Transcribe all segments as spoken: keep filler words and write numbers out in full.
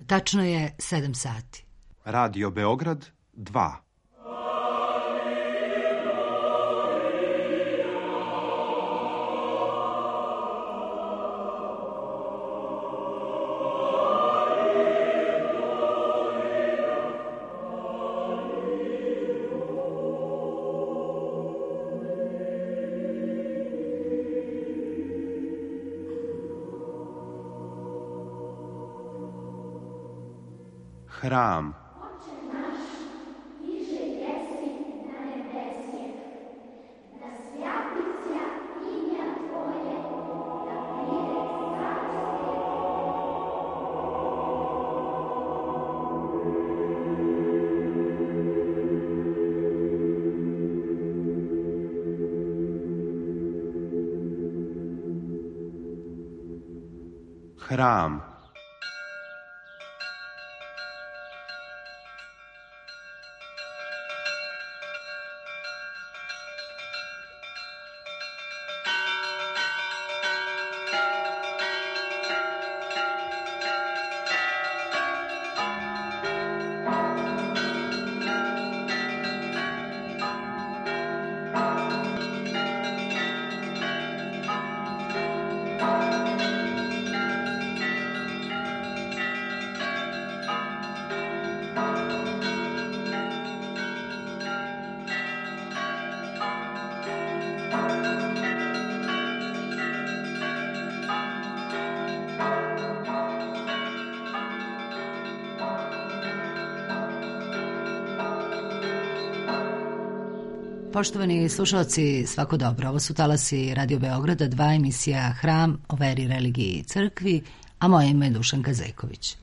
Tačno je sedam sati. Radio Beograd dva. Hram. Hram. Poštovani slušalci, svako dobro. Ovo su talasi Radio Beograda, dva emisija Hram o veri, religiji i crkvi, a moje ime je Dušanka Zeković.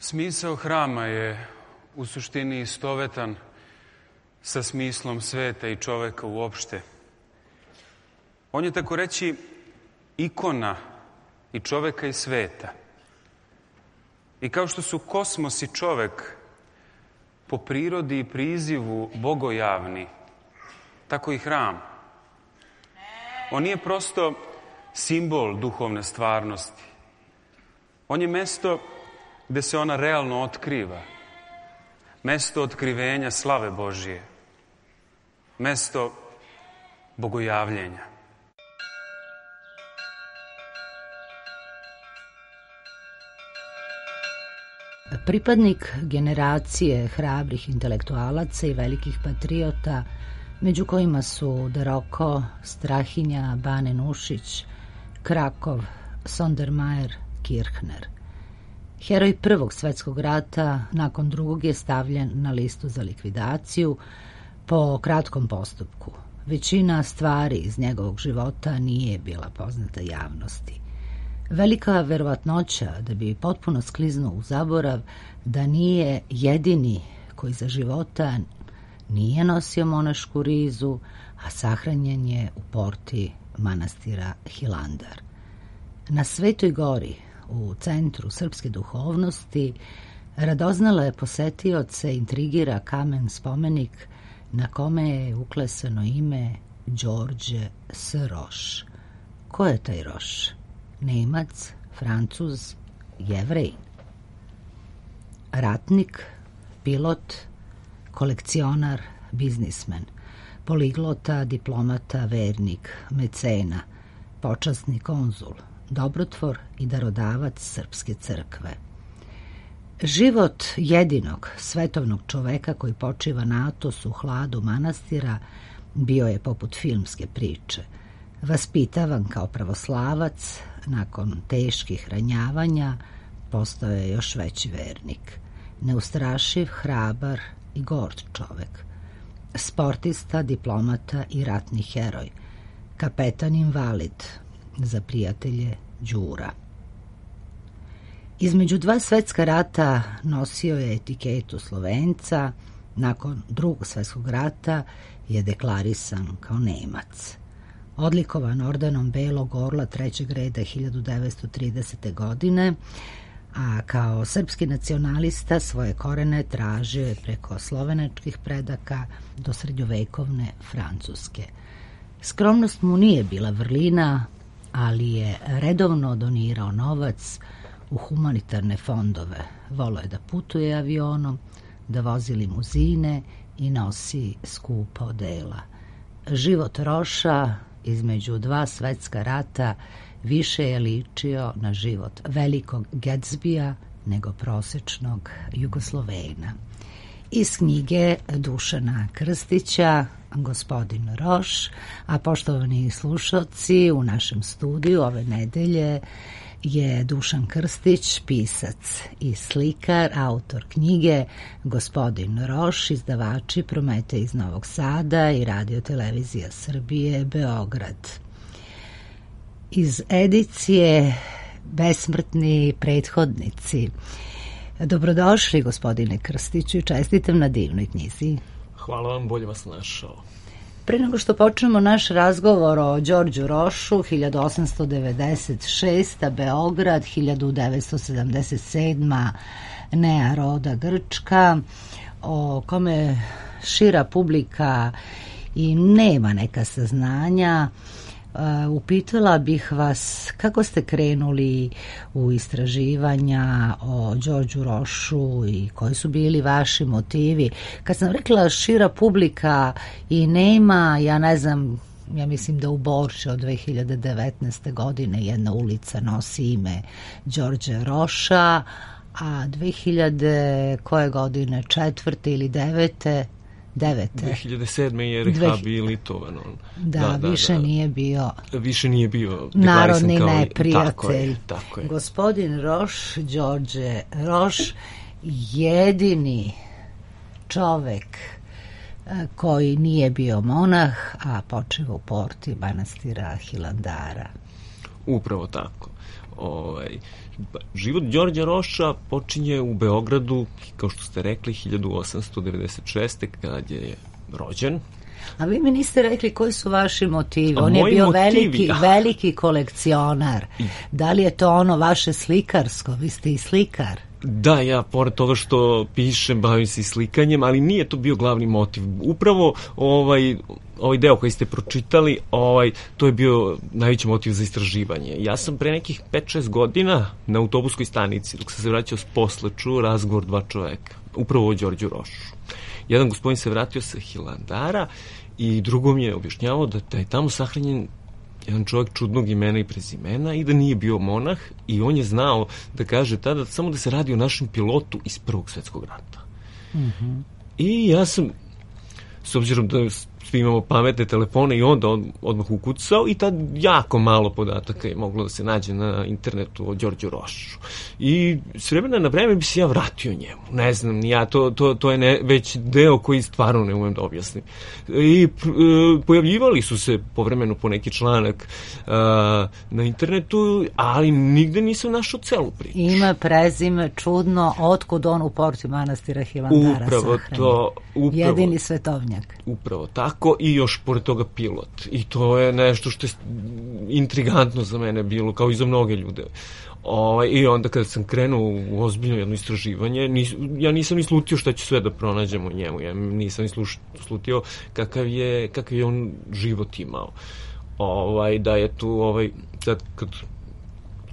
Smisao hrama je u suštini istovetan sa smislom sveta i čoveka uopšte. On je, tako reći, ikona i čoveka i sveta. I kao što su kosmos i čovek po prirodi i prizivu bogojavni, tako i hram. On nije prosto simbol duhovne stvarnosti. On je mesto gde se ona realno otkriva. Mesto otkrivenja slave Božije. Mesto bogojavljenja. Pripadnik generacije hrabrih intelektualaca i velikih patriota, među kojima su De Rocco, Strahinja, Bane Nušić, Krakov, Sondermajer, Kirchner. Heroj Prvog svetskog rata nakon drugog je stavljen na listu za likvidaciju po kratkom postupku. Većina stvari iz njegovog života nije bila poznata javnosti. Velika verovatnoća da bi potpuno skliznuo u zaborav da nije jedini koji za života nije nosio monašku rizu, a sahranjen je u porti manastira Hilandar. Na Svetoj gori, u centru srpske duhovnosti, radoznale posetioce intrigira kamen spomenik na kome je uklesano ime Đorđe S. Roš. Ko je taj Roš? Nemac, Francuz, Jevrej? Ratnik, pilot, kolekcionar, biznismen. poliglota, diplomata, vernik, mecena, počasni konzul, dobrotvor i darodavac srpske crkve. Život jedinog svetovnog čoveka koji počiva na Atosu u hladu manastira bio je poput filmske priče. Vaspitavan kao pravoslavac, nakon teških ranjavanja postao je još veći vernik. Neustrašiv, hrabar i gord čovek. Sportista, diplomata i ratni heroj. Kapetan invalid, za prijatelje Đura. Između dva svetska rata nosio je etiketu Slovenca, nakon drugog svetskog rata je deklarisan kao Nemac. Odlikovan ordenom Belog orla trećeg reda hiljadu devetsto tridesete. godine, a kao srpski nacionalista svoje korene tražio je preko slovenačkih predaka do srednjovekovne Francuske. Skromnost mu nije bila vrlina, ali je redovno donirao novac u humanitarne fondove. Voleo je da putuje avionom, da vozi limuzine i nosi skupa odela. Život Roša između dva svetska rata više je ličio na život velikog Gatsbija nego prosečnog Jugoslovena. Iz knjige Dušana Krstića Gospodin Roš, a poštovani slušalci, u našem studiju ove nedelje je Dušan Krstić, pisac i slikar, autor knjige Gospodin Roš, izdavači Prometej iz Novog Sada i Radio Televizija Srbije Beograd. Iz edicije Besmrtni prethodnici. Dobrodošli, gospodine Krstiću, i čestitam na divnoj knjizi. Hvala vam, bolje vas našao. Pre nego što počnemo naš razgovor o Đorđu Rošu, hiljadu osamsto devedeset šesta. Beograd, hiljadu devetsto sedamdeset sedma. Nea Roda Grčka, o kome šira publika i nema neka saznanja, upitala bih vas kako ste krenuli u istraživanja o Đorđu Rošu i koji su bili vaši motivi. Kad sam rekla šira publika i nema, ja ne znam, ja mislim da u Borči od dve hiljade devetnaeste. godine jedna ulica nosi ime Đorđe Roša, a dve hiljade koje godine, četvrte ili devete devete. dve hiljade sedme. je rehabilitovan. Da, da, da, više da. nije bio više nije bio narodni kao neprijatelj. Tako je, tako je. Gospodin Roš, Đorđe Roš, jedini čovek koji nije bio monah, a počiva u porti manastira Hilandara. Upravo tako. Ovaj, život Đorđa Roša počinje u Beogradu, kao što ste rekli, hiljadu osamsto devedeset šeste. kad je rođen. A vi mi niste rekli koji su vaši motivi. On je bio motivi, veliki, veliki kolekcionar. Da li je to ono vaše slikarsko? Vi ste i slikar. Da, ja pored toga što pišem, bavim se i slikanjem, ali nije to bio glavni motiv. Upravo ovaj, ovaj deo koji ste pročitali, ovaj, to je bio najveći motiv za istraživanje. Ja sam pre nekih pet šest godina na autobuskoj stanici, dok sam se vraćao s posla, čuo razgovor dva čoveka, upravo o Đorđu Rošu. Jedan gospodin se vratio sa Hilandara i drugom je objašnjavao da, da je tamo sahranjen jedan čovjek čudnog imena i prezimena i da nije bio monah, i on je znao da kaže tada samo da se radi o našem pilotu iz Prvog svjetskog rata. Mm-hmm. I ja sam, s obzirom da svi imamo pametne telefone, i onda on odmah ukucao, i tad jako malo podataka je moglo da se nađe na internetu o Đorđu Rošu. I s vremena na vreme bi se ja vratio njemu. Ne znam, ja, to, to, to je ne, već deo koji stvarno ne umem da objasnim. I e, pojavljivali su se povremeno po neki članak e, na internetu, ali nigde nisam našao celu priču. Ima prezime čudno, otkud on u porti manastira Hilandara upravo sahranjen. To, upravo, jedini svetovnjak. Upravo tako. I još pored toga pilot. I to je nešto što je intrigantno za mene bilo, kao i za mnoge ljude. Ovaj, I onda kada sam krenuo u ozbiljno jedno istraživanje, nis, ja nisam ni slutio šta ću sve da pronađem u njemu. Ja nisam ni sluš, slutio kakav je, kakav je on život imao. Ovaj, da je tu, ovaj, sad kad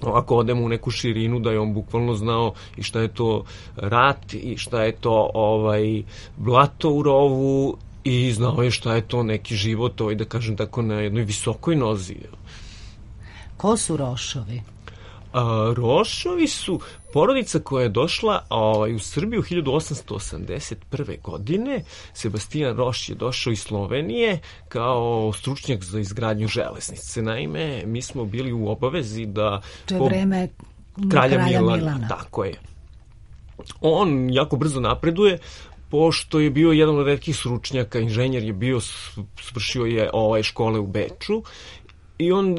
ako odemo u neku širinu, da je on bukvalno znao i šta je to rat, i šta je to ovaj, blato u rovu, i znao je šta je to neki život, ovaj, da kažem tako, na jednoj visokoj nozi. Ko su Rošovi? A, Rošovi su porodica koja je došla ovaj, u Srbiju hiljadu osamsto osamdeset prve. godine. Sebastijan Roš je došao iz Slovenije kao stručnjak za izgradnju železnice. Naime, mi smo bili u obavezi da... To je vreme kralja, kralja Milana. Milana. Tako je. On jako brzo napreduje, pošto je bio jedan od retkih stručnjaka, inženjer je bio, svršio je ovaj, škole u Beču. I on e,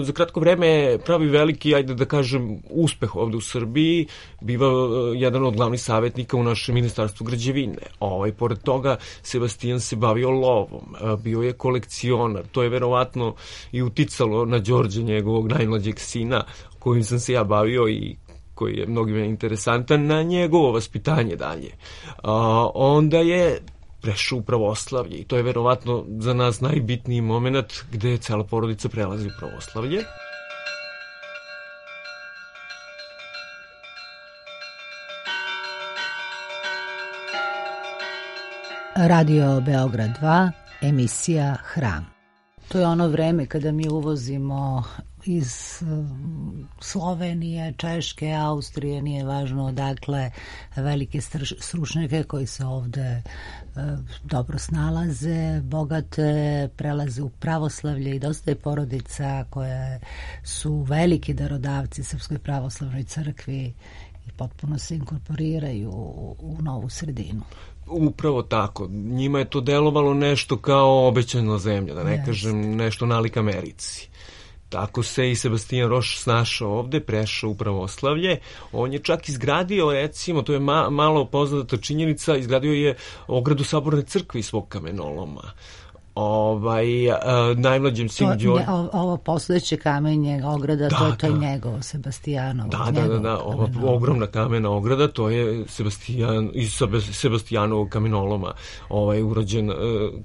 za kratko vreme pravi veliki, ajde da kažem, uspeh ovde u Srbiji, biva e, jedan od glavnih savjetnika u našem ministarstvu građevine. Ovaj, pored toga, Sebastijan se bavio lovom, e, bio je kolekcionar. To je verovatno i uticalo na Đorđe, njegovog najmlađeg sina, kojim sam se ja bavio i koji je mnogima interesantan, na njegovo vaspitanje dalje. A, onda je prešao u pravoslavlje i to je verovatno za nas najbitniji moment gde je cela porodica prelazi u pravoslavlje. Radio Beograd dva, emisija Hram. To je ono vreme kada mi uvozimo iz Slovenije, Češke, Austrije, nije važno odakle, velike stručnjake koji se ovde dobro snalaze, bogate, prelaze u pravoslavlje i dosta je porodica koje su veliki darodavci Srpskoj pravoslavnoj crkvi i potpuno se inkorporiraju u, u novu sredinu. Upravo tako. Njima je to delovalo nešto kao obećana zemlja, da ne Jest. kažem nešto nalik Americi. Tako se i Sebastijan Roš snašao ovde, prešao u pravoslavlje. On je čak izgradio, recimo, to je ma, malo poznata činjenica, izgradio je ogradu Saborne crkve svog kamenoloma. Ovaj, uh, najmlađem sinu Đorđe... Ovo posledeće kamenje ograda, da, to je to da. njegovo, Sebastijanovo. Da, da, da, da, ova ogromna kamena ograda, to je Sebastijan, iz Sebastijanovog kamenoloma ovaj, urađen, uh,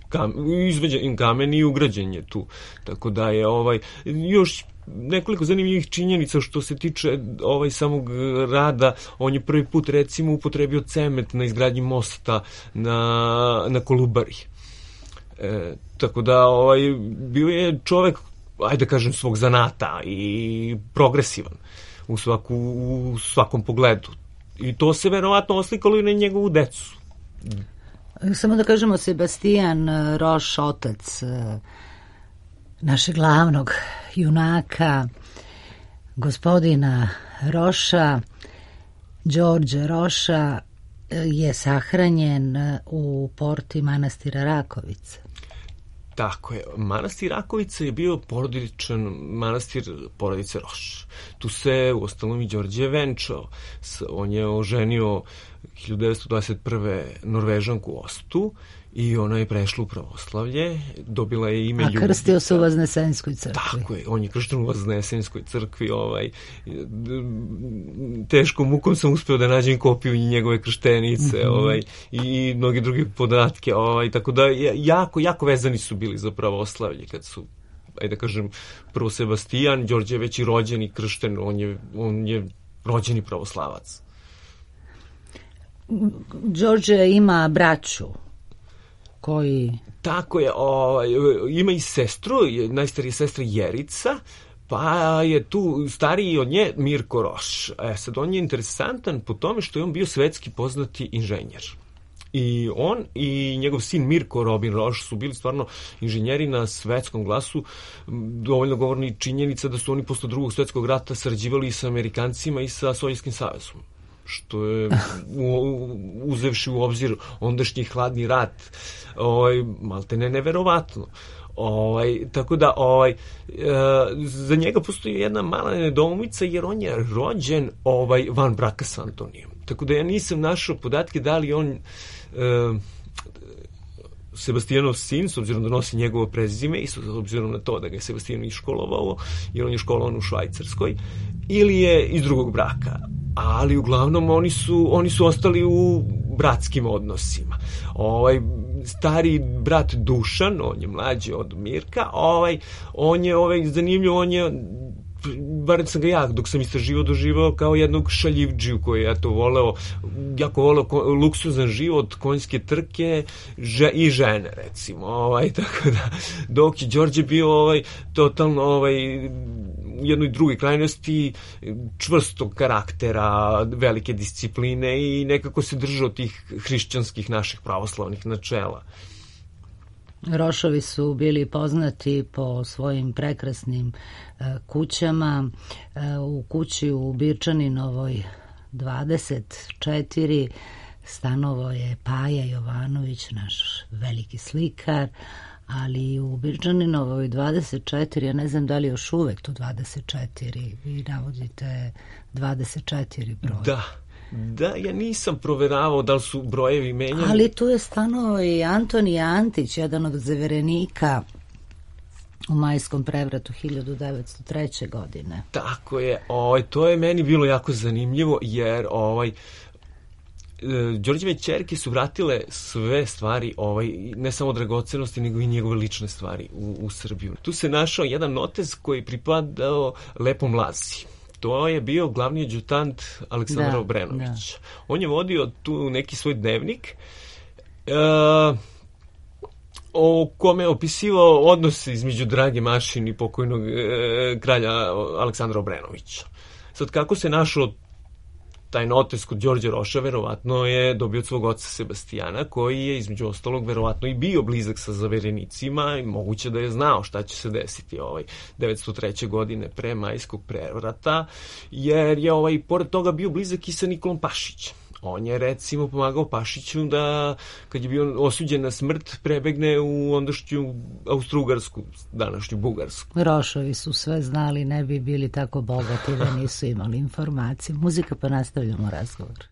kam, izveđen kamen i ugrađen je tu. Tako da je ovaj, još nekoliko zanimljivih činjenica što se tiče ovaj samog rada. On je prvi put, recimo, upotrebio cement na izgradnji mosta na, na Kolubari. E, tako da ovaj, bio je čovek, ajde da kažem, svog zanata i progresivan u, svaku, u svakom pogledu. I to se verovatno oslikalo i na njegovu decu. Samo da kažemo, Sebastijan Roš, otac našeg glavnog junaka, gospodina Roša, Đorđe Roša, je sahranjen u porti manastira Rakovica. Tako je. Manastir Rakovica je bio porodičan manastir porodice Roš. Tu se u ostalom i Đorđe venčao. On je oženio hiljadu devetsto dvadeset prve Norvežanku Ostu i ona je prešla u pravoslavlje, dobila je ime Ljubica. A krstio se u Vaznesenskoj crkvi. Tako je, on je kršten u Vaznesenskoj crkvi. Ovaj, teškom mukom sam uspeo da nađem kopiju njegove krštenice, mm-hmm. ovaj, i mnoge druge podatke. Ovaj, tako da jako, jako vezani su bili za pravoslavlje kad su, ajde da kažem, prvo Sebastijan, Đorđe je već i rođen i kršten, on je, on je rođeni pravoslavac. Đorđe ima braću koji... Tako je, o, ima i sestru, najstarija sestra Jerica, pa je tu stariji od nje Mirko Roš. E sad, on je interesantan po tome što je on bio svetski poznati inženjer. I on i njegov sin Mirko Robin Roš su bili stvarno inženjeri na svetskom glasu. Dovoljno govorni činjenica da su oni posle drugog svetskog rata sarađivali i sa Amerikancima i sa Sovjetskim savezom, što je uzevši u obzir ondašnji hladni rat, ovaj, malte ne neverovatno. Ovaj, tako da ovaj, e, za njega postoji jedna mala nedoumica jer on je rođen ovaj, van braka sa Antonijom. Tako da ja nisam našao podatke da li on... E, Sebastijanov sin, s obzirom da nosi njegovo prezime i s obzirom na to da ga je Sebastijan iškolovao, jer on je školovan u Švajcarskoj, ili je iz drugog braka. Ali uglavnom oni su, oni su ostali u bratskim odnosima. Ovaj, stari brat Dušan, on je mlađi od Mirka, ovaj, on je ovaj, zanimljiv, on je bar sam ga ja, dok sam istraživao, doživao kao jednog šaljivdžiju koji je to voleo, jako voleo luksuzan život, konjske trke že, i žene, recimo. Ovaj, tako da, dok je Đorđe bio ovaj, totalno ovaj, u jednoj drugoj krajnosti, čvrstog karaktera, velike discipline i nekako se držao tih hrišćanskih naših pravoslavnih načela. Rošovi su bili poznati po svojim prekrasnim uh, kućama. Uh, u kući u Birčaninovoj dvadeset četiri stanovo je Paja Jovanović, naš veliki slikar, ali u Birčaninovoj dvadeset četiri, ja ne znam da li još uvek tu dvadeset četiri, vi navodite dvadeset četiri broj. Da. Da, ja nisam proveravao da li su brojevi menjani. Ali tu je stanovao i Antoni Antić, jedan od zaverenika u majskom prevratu hiljadu devetsto treće. godine. Tako je, ovaj, to je meni bilo jako zanimljivo, jer ovaj, Đorđeve ćerke su vratile sve stvari, ovaj, ne samo dragocenosti, nego i njegove lične stvari u, u Srbiju. Tu se našao jedan notez koji pripadao Lepom Lazi. To je bio glavni adjutant Aleksandra da, Obrenovića. Da. On je vodio tu neki svoj dnevnik e, o kome je opisivao odnose između Drage Mašin i pokojnog e, kralja Aleksandra Obrenovića. Sad, kako se našao taj notes kod Đorđe Roša, verovatno je dobio od svog oca Sebastijana, koji je između ostalog verovatno i bio blizak sa zaverenicima i moguće da je znao šta će se desiti ovaj devetsto treće. godine pre majskog prevrata, jer je ovaj pored toga bio blizak i sa Nikolom Pašićem. On je recimo pomagao Pašiću da, kad je bio osuđen na smrt, prebegne u ondašnju Austro-Ugarsku, današnju Bugarsku. Rošovi su sve znali, ne bi bili tako bogati da nisu imali informacije. Muzika, pa nastavljamo razgovor.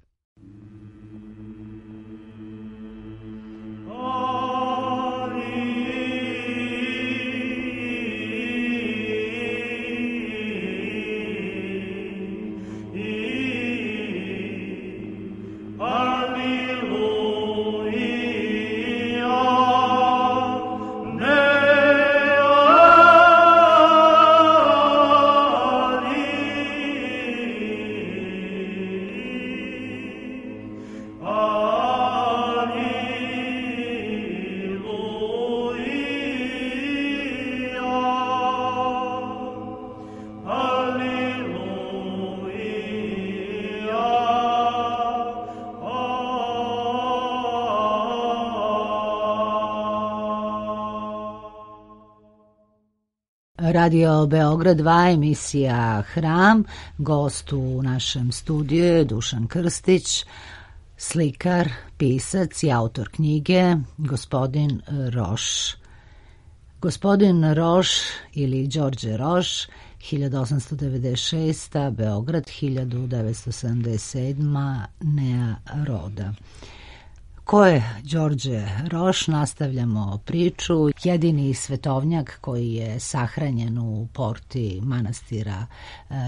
Radio Beograd dva, emisija Hram. Gost u našem studiju je Dušan Krstić, slikar, pisac i autor knjige Gospodin Roš. Gospodin Roš ili Đorđe Roš, hiljadu osamsto devedeset šesta. Beograd, hiljadu devetsto sedamdeset sedma. Nea roda. Ko je Đorđe Roš? Nastavljamo priču. Jedini svetovnjak koji je sahranjen u porti manastira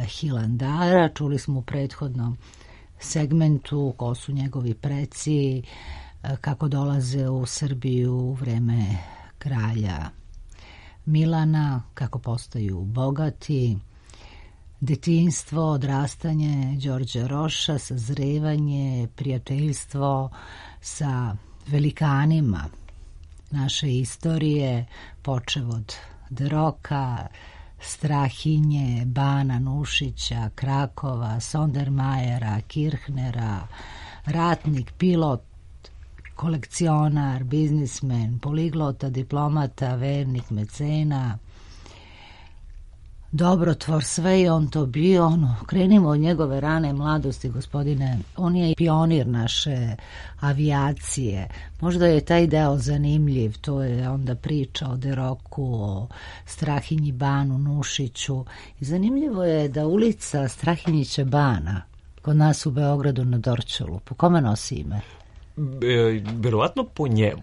Hilandara. Čuli smo u prethodnom segmentu ko su njegovi preci, kako dolaze u Srbiju u vreme kralja Milana, kako postaju bogati, detinjstvo, odrastanje Đorđe Roša, sazrevanje, prijateljstvo sa velikanima naše istorije, počev od Deroka, Strahinje, Bana Nušića, Krakova, Sondermajera, Kirchnera, ratnik, pilot, kolekcionar, biznismen, poliglota, diplomata, vernik, mecena, dobrotvor, sve je on to bio. Ono, krenimo od njegove rane mladosti, gospodine. On je pionir naše avijacije. Možda je taj deo zanimljiv. To je onda priča o Deroku, o Strahinji Banu Nušiću. I zanimljivo je da ulica Strahinjića Bana kod nas u Beogradu na Dorćolu, po kome nosi ime? E, verovatno po njemu.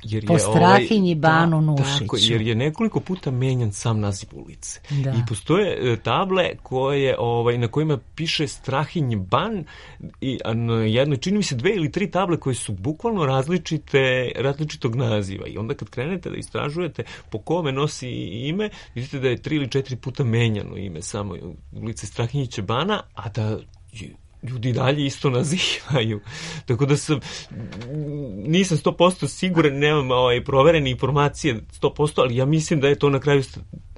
Jer je, po Strahinji ovaj, Banu ta, Nušiću. Tako, jer je nekoliko puta menjan sam naziv ulice. Da. I postoje e, table koje, ovaj, na kojima piše Strahinji Ban i a na jednoj, čini mi se dve ili tri table koje su bukvalno različite, različitog naziva. I onda kad krenete da istražujete po kome nosi ime, vidite da je tri ili četiri puta menjano ime samo ulice Strahinjića Bana, a da ljudi dalje isto nazivaju. Tako da sam, nisam sto posto siguran, nemam ovaj, proverene informacije sto posto, ali ja mislim da je to na kraju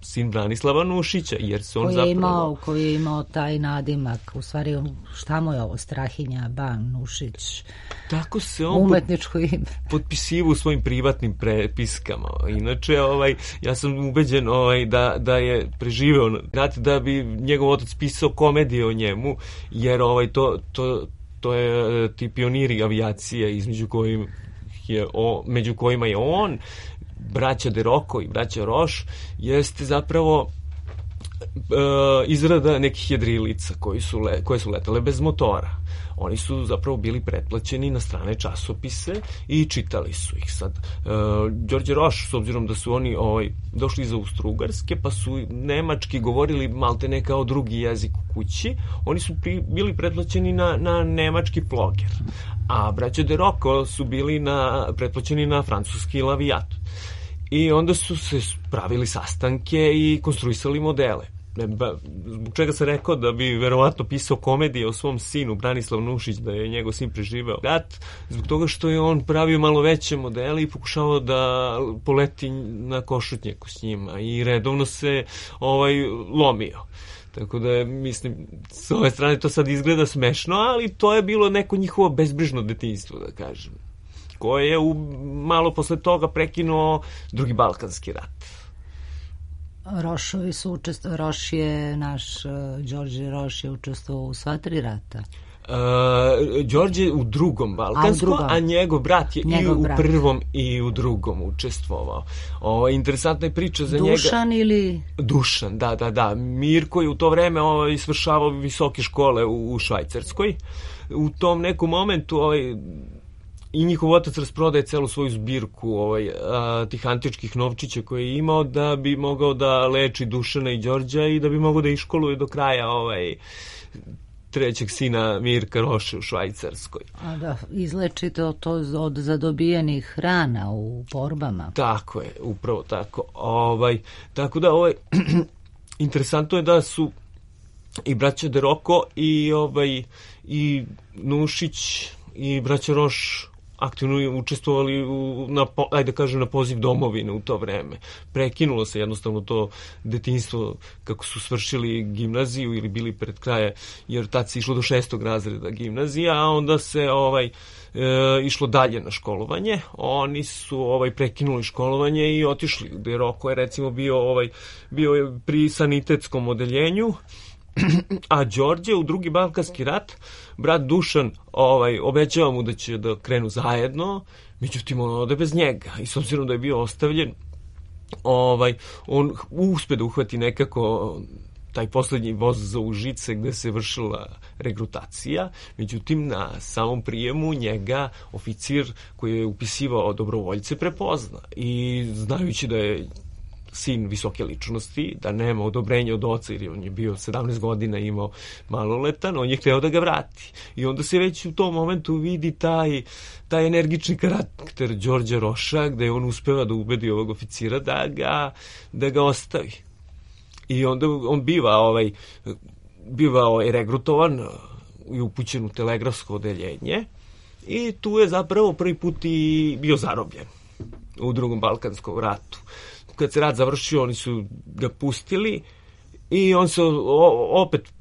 sin Branislava Nušića, jer se on koji je zapravo... Imao, koji je imao taj nadimak, u stvari, šta mu je ovo, Strahinja Ban Nušić? Tako se on umetničko ime. potpisivo u svojim privatnim prepiskama. Inače, ovaj, ja sam ubeđen ovaj, da, da je preživeo, znate, da bi njegov otac pisao komedije o njemu, jer ovaj, to, to, to je ti pioniri avijacije između kojim je o, među kojima je on, braća De Rocco i braća Roš, jeste zapravo e, izrada nekih jedrilica koji su le, koje su letale bez motora. Oni su zapravo bili pretplaćeni na strane časopise i čitali su ih. Sad, e, Đorđe Roš, s obzirom da su oni ovaj, došli iz Austro-Ugarske, pa su nemački govorili malte ne kao drugi jezik u kući, oni su pri, bili pretplaćeni na, na nemački floger. A braća De Rocco su bili na, pretplaćeni na francuski lavijat. I onda su se pravili sastanke i konstruisali modele. Zbog čega sam rekao da bi verovatno pisao komedije o svom sinu Branislav Nušić, da je njegov sin preživeo rat, zbog toga što je on pravio malo veće modele i pokušavao da poleti na Košutnjaku s njima i redovno se ovaj, lomio. Tako da, mislim, s ove strane to sad izgleda smešno, ali to je bilo neko njihovo bezbrižno detinjstvo, da kažem, koje je u, malo posle toga prekinuo drugi Balkanski rat. Rošovi su učestvovali, Roš je naš, uh, Đorđe Roš je učestvovao u sva tri rata. Uh, Đorđe u drugom Balkanskom, a, drugom. a njegov brat je njegov i u brat. prvom i u drugom učestvovao. O, interesantna je priča za Dušan njega. Dušan ili... Dušan, da, da, da. Mirko je u to vreme ovaj, svršavao visoke škole u, u Švajcarskoj. U tom nekom momentu ovaj, i njihov otac rasprodaje celu svoju zbirku ovaj, a, tih antičkih novčića koje je imao da bi mogao da leči Dušana i Đorđa i da bi mogao da iškoluje do kraja ovaj, trećeg sina Mirka Roše u Švajcarskoj. A da izlečite to od zadobijenih rana u borbama. Tako je, upravo tako. Ovaj, tako da ovaj, interesantno je da su i braća De Rocco i, ovaj, i Nušić i braća Roš aktivno učestvovali u, na, ajde kažem, na poziv domovine u to vreme. Prekinulo se jednostavno to detinjstvo kako su svršili gimnaziju ili bili pred kraje, jer tad se išlo do šestog razreda gimnazija, a onda se ovaj, e, išlo dalje na školovanje. Oni su ovaj, prekinuli školovanje i otišli. De Rocco je recimo bio, ovaj, bio je pri sanitetskom odeljenju, a Đorđe u drugi Balkanski rat, brat Dušan ovaj, obećava mu da će da krenu zajedno, međutim on ode bez njega i s obzirom da je bio ostavljen, ovaj, on uspe da uhvati nekako taj poslednji voz za Užice gde se vršila regrutacija, međutim na samom prijemu njega oficir koji je upisivao dobrovoljce prepozna i znajući da je sin visoke ličnosti, da nema odobrenja od oca, jer on je bio sedamnaest godina, imao maloletan, on je hteo da ga vrati. I onda se već u tom momentu vidi taj, taj energični karakter Đorđa Roša, gde on uspeva da ubedi ovog oficira da ga, da ga ostavi. I onda on biva, ovaj, biva ovaj, regrutovan i upućen u telegrafsko odeljenje i tu je zapravo prvi put i bio zarobljen u drugom Balkanskom ratu. Kad se rat završio, oni su ga pustili i on se o, opet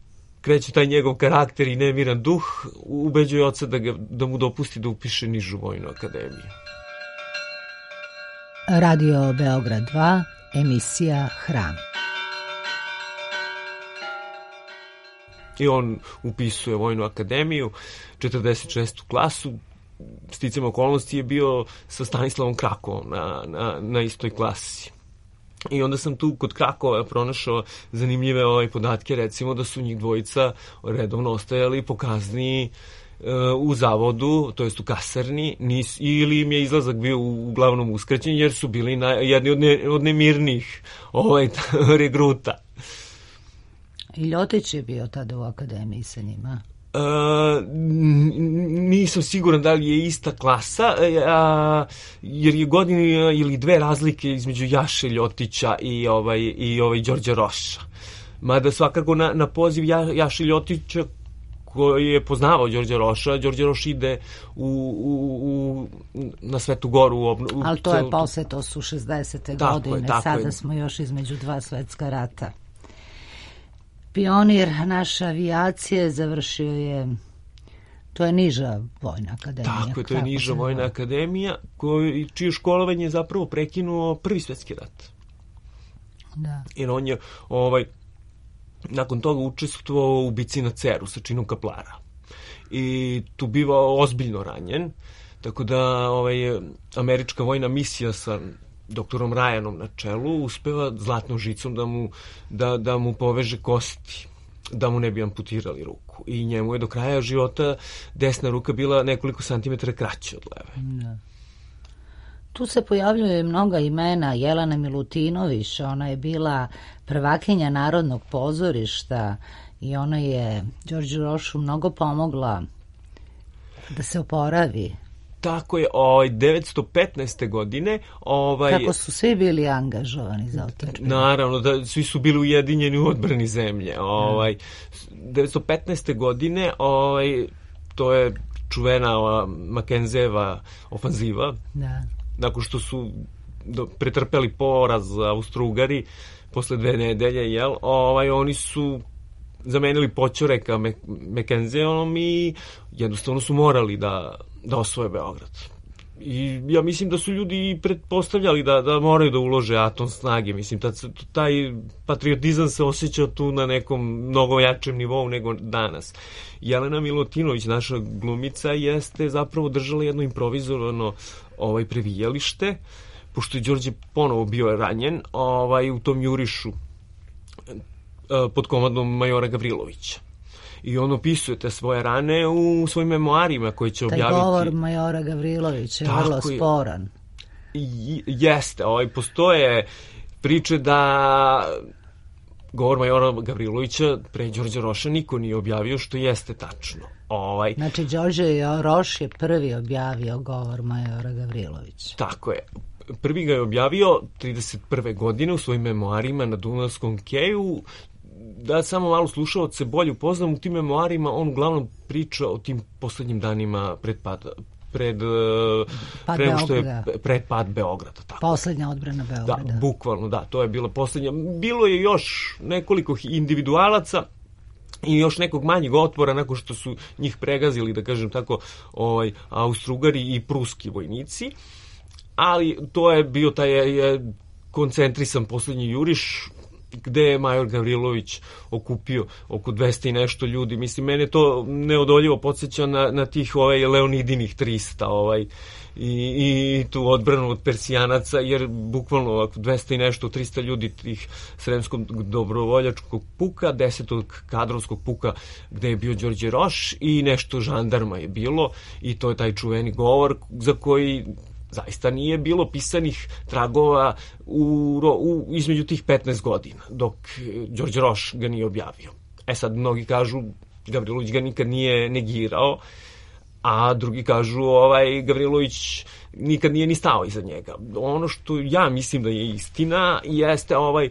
kreće taj njegov karakter i nemiran duh, ubeđuje oca da, ga, da mu dopusti da upiše nižu vojnu akademiju. Radio Beograd dva, emisija Hram. I on upisuje vojnu akademiju, četrdeset šestu klasu, sticam okolnosti je bio sa Stanislavom Krakovom na, na, na istoj klasi. I onda sam tu kod Krakova pronašao zanimljive ovaj podatke, recimo da su njih dvojica redovno ostajali po kazni u zavodu, to jest u kasarni, nis, ili im je izlazak bio uglavnom uskraćen, jer su bili na, jedni od, ne, od nemirnih ovaj, regruta. I Ljotić je bio tada u akademiji sa njima? Uh, nisam siguran da li je ista klasa, a, jer je godinu ili dve razlike između Jaše Ljotića i ovaj, i ovaj Đorđa Roša. Mada svakako na, na poziv ja, Jaše Ljotića, koji je poznavao Đorđa Roša, Đorđe Roš ide u, u, u, na Svetu Goru. U, u, Ali to je posle, to su šezdesete godine, sada je. Smo još između dva svetska rata. Pionir naše avijacije završio je, to je niža vojna akademija. Tako je, to je niža vojna akademija, koji, čije školovanje je zapravo prekinuo Prvi svetski rat. Da. Jer on je ovaj, nakon toga učestvovao u bici na Ceru sa činom kaplara. I tu bivao ozbiljno ranjen, tako da ovaj, američka vojna misija sa doktorom Ryanom na čelu uspeva zlatnom žicom da mu, da, da mu poveže kosti, da mu ne bi amputirali ruku. I njemu je do kraja života desna ruka bila nekoliko santimetara kraća od leve. Da. Tu se pojavljuje mnoga imena. Jelena Milutinović, ona je bila prvakinja Narodnog pozorišta i ona je Đorđu Rošu mnogo pomogla da se oporavi. Tako je, ovaj, devetsto petnaeste. godine... Ovaj, kako su svi bili angažovani za otadžbinu. Naravno, da svi su bili ujedinjeni u odbrani zemlje. Ovaj, devetsto petnaeste. godine, ovaj, to je čuvena ova Mackenzeva ofanziva. Da. Nakon što su do, pretrpeli poraz Austro-Ugari, posle dve nedelje, jel, ovaj, oni su zamenili Poćoreka Mackenzeom i jednostavno su morali da, da osvoje Beograd. I ja mislim da su ljudi pretpostavljali da, da moraju da ulože atom snage. Mislim, taj, taj patriotizam se osjeća tu na nekom mnogo jačem nivou nego danas. Jelena Milutinović, naša glumica, jeste zapravo držala jedno improvizovano ovaj, previjalište, pošto je Đorđe ponovo bio ranjen ovaj, u tom jurišu pod komandom majora Gavrilovića. I on opisuje te svoje rane u svojim memoarima koji će objaviti. Taj govor majora Gavrilovića je vrlo sporan. I, jeste, ovaj, postoje priče da govor majora Gavrilovića pre Đorđa Roša niko nije objavio, što jeste tačno. Ovaj, znači, Đorđe Roš je prvi objavio govor majora Gavrilovića. Tako je. Prvi ga je objavio trideset prve. godine u svojim memoarima na Dunavskom keju. Da samo malo slušaoce bolje upoznam, u tim memoarima on uglavnom priča o tim poslednjim danima pred pad, pred, pad pre što je pred pad Beograda. Tako. Poslednja odbrana Beograda. Da, bukvalno, da, to je bila poslednja. Bilo je još nekoliko individualaca i još nekog manjeg otpora nakon što su njih pregazili, da kažem tako, ovaj, Austro-Ugari i pruski vojnici, ali to je bio taj je, koncentrisan poslednji juriš, gde je major Gavrilović okupio oko dvesta i nešto ljudi. Mislim, mene to neodoljivo podsjeća na, na tih ovaj, Leonidinih trista ovaj, i, i tu odbranu od Persijanaca, jer bukvalno ovako dvesta i nešto, trista ljudi tih Sremskog dobrovoljačkog puka, desetog kadrovskog puka gde je bio Đorđe Roš i nešto žandarma je bilo i to je taj čuveni govor za koji zaista nije bilo pisanih tragova u, u, između tih petnaest godina, dok Đorđe Roš ga nije objavio. E sad, mnogi kažu Gavrilović ga nikad nije negirao, a drugi kažu ovaj Gavrilović nikad nije ni stao iza njega. Ono što ja mislim da je istina jeste ovaj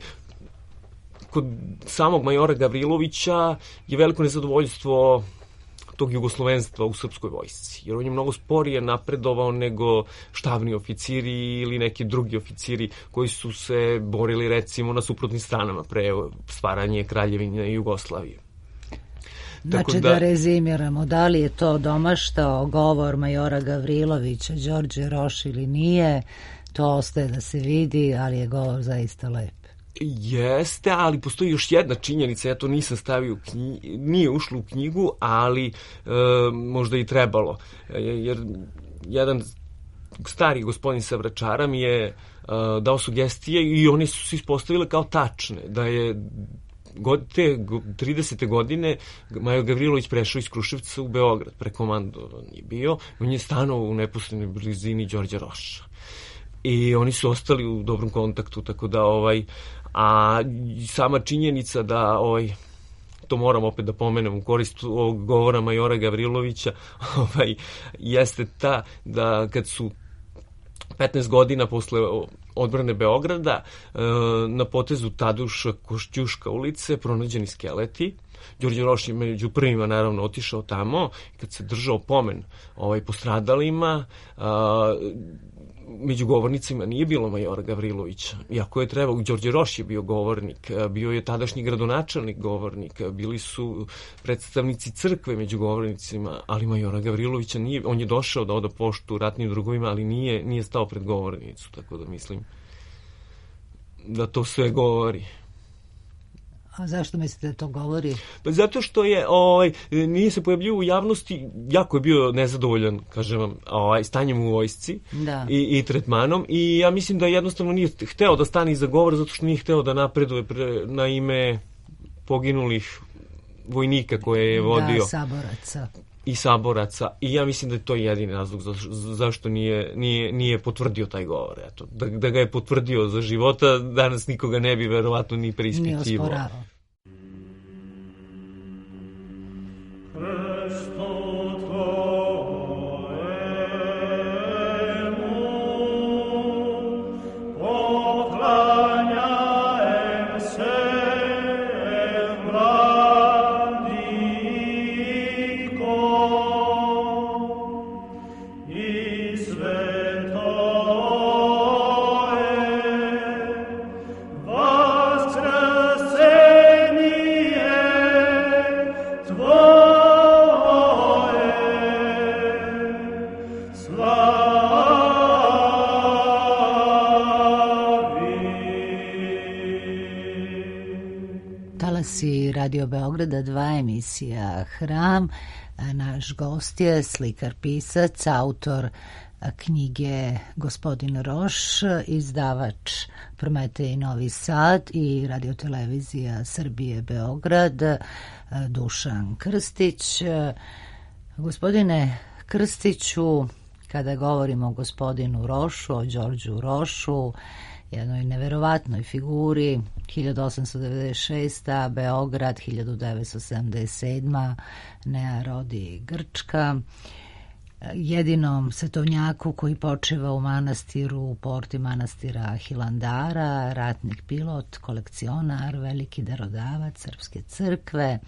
kod samog majora Gavrilovića je veliko nezadovoljstvo tog jugoslovenstva u srpskoj vojsci, jer on je mnogo sporije napredovao nego štabni oficiri ili neki drugi oficiri koji su se borili recimo na suprotnim stranama pre stvaranje Kraljevine Jugoslavije. Znači da, da rezimiramo, da li je to domaštao govor majora Gavrilovića, Đorđe Roš ili nije, to ostaje da se vidi, ali je govor zaista lep. Jeste, ali postoji još jedna činjenica, ja to nisam stavio u knjigu, nije ušlo u knjigu, ali e, možda i trebalo, jer jedan stari gospodin sa Vračara mi je e, dao sugestije i one su se ispostavile kao tačne, da je god, te tridesete godine Majo Gavrilović prešao iz Kruševca u Beograd, prekomandovan je bio, on je stanovao u neposrednoj blizini Đorđa Roša. I oni su ostali u dobrom kontaktu, tako da, ovaj, a sama činjenica da, ovaj, to moram opet da pomenem u korist ovog govora majora Gavrilovića, ovaj, jeste ta da kad su petnaest godina posle odbrane Beograda na potezu Taduša Košćuška ulice pronađeni skeleti. Đorđe Roš je među prvima naravno otišao tamo, kad se držao pomen ovaj, postradalima, među govornicima nije bilo majora Gavrilovića. Iako je trebao, Đorđe Roš je bio govornik, bio je tadašnji gradonačelnik govornik, bili su predstavnici crkve među govornicima, ali majora Gavrilovića nije, on je došao da oda poštu ratnim drugovima, ali nije, nije stao pred govornicu, tako da mislim da to sve govori. A zašto mislite da to govori? Pa zato što je, ovaj, nije se pojavljio u javnosti, jako je bio nezadovoljan, kažem vam, ovaj, stanjem u vojsci i, i tretmanom i ja mislim da jednostavno nije hteo da stane iza govora zato što nije hteo da napreduje pre, na ime poginulih vojnika koje je vodio. Da, saboraca. I saboraca. I ja mislim da je to jedini razlog za, zašto nije, nije, nije potvrdio taj govor. Eto, da, da ga je potvrdio za života, danas nikoga ne bi verovatno ni preispitivao. Nije osporavao. Radio Beograda dva, emisija Hram. Naš gost je slikar, pisac, autor knjige Gospodin Roš, izdavač Prometej Novi Sad i radiotelevizija Srbije Beograd, Dušan Krstić. Gospodine Krstiću, kada govorimo o gospodinu Rošu, o Đorđu Rošu, jednoj neverovatnoj figuri, hiljadu osamsto devedeset šesta. Beograd, hiljadu devetsto sedamdeset sedma. Nea rodi Grčka. Jedinom svetovnjaku koji počiva u manastiru, u porti manastira Hilandara, ratnik pilot, kolekcionar, veliki darodavac Srpske crkve.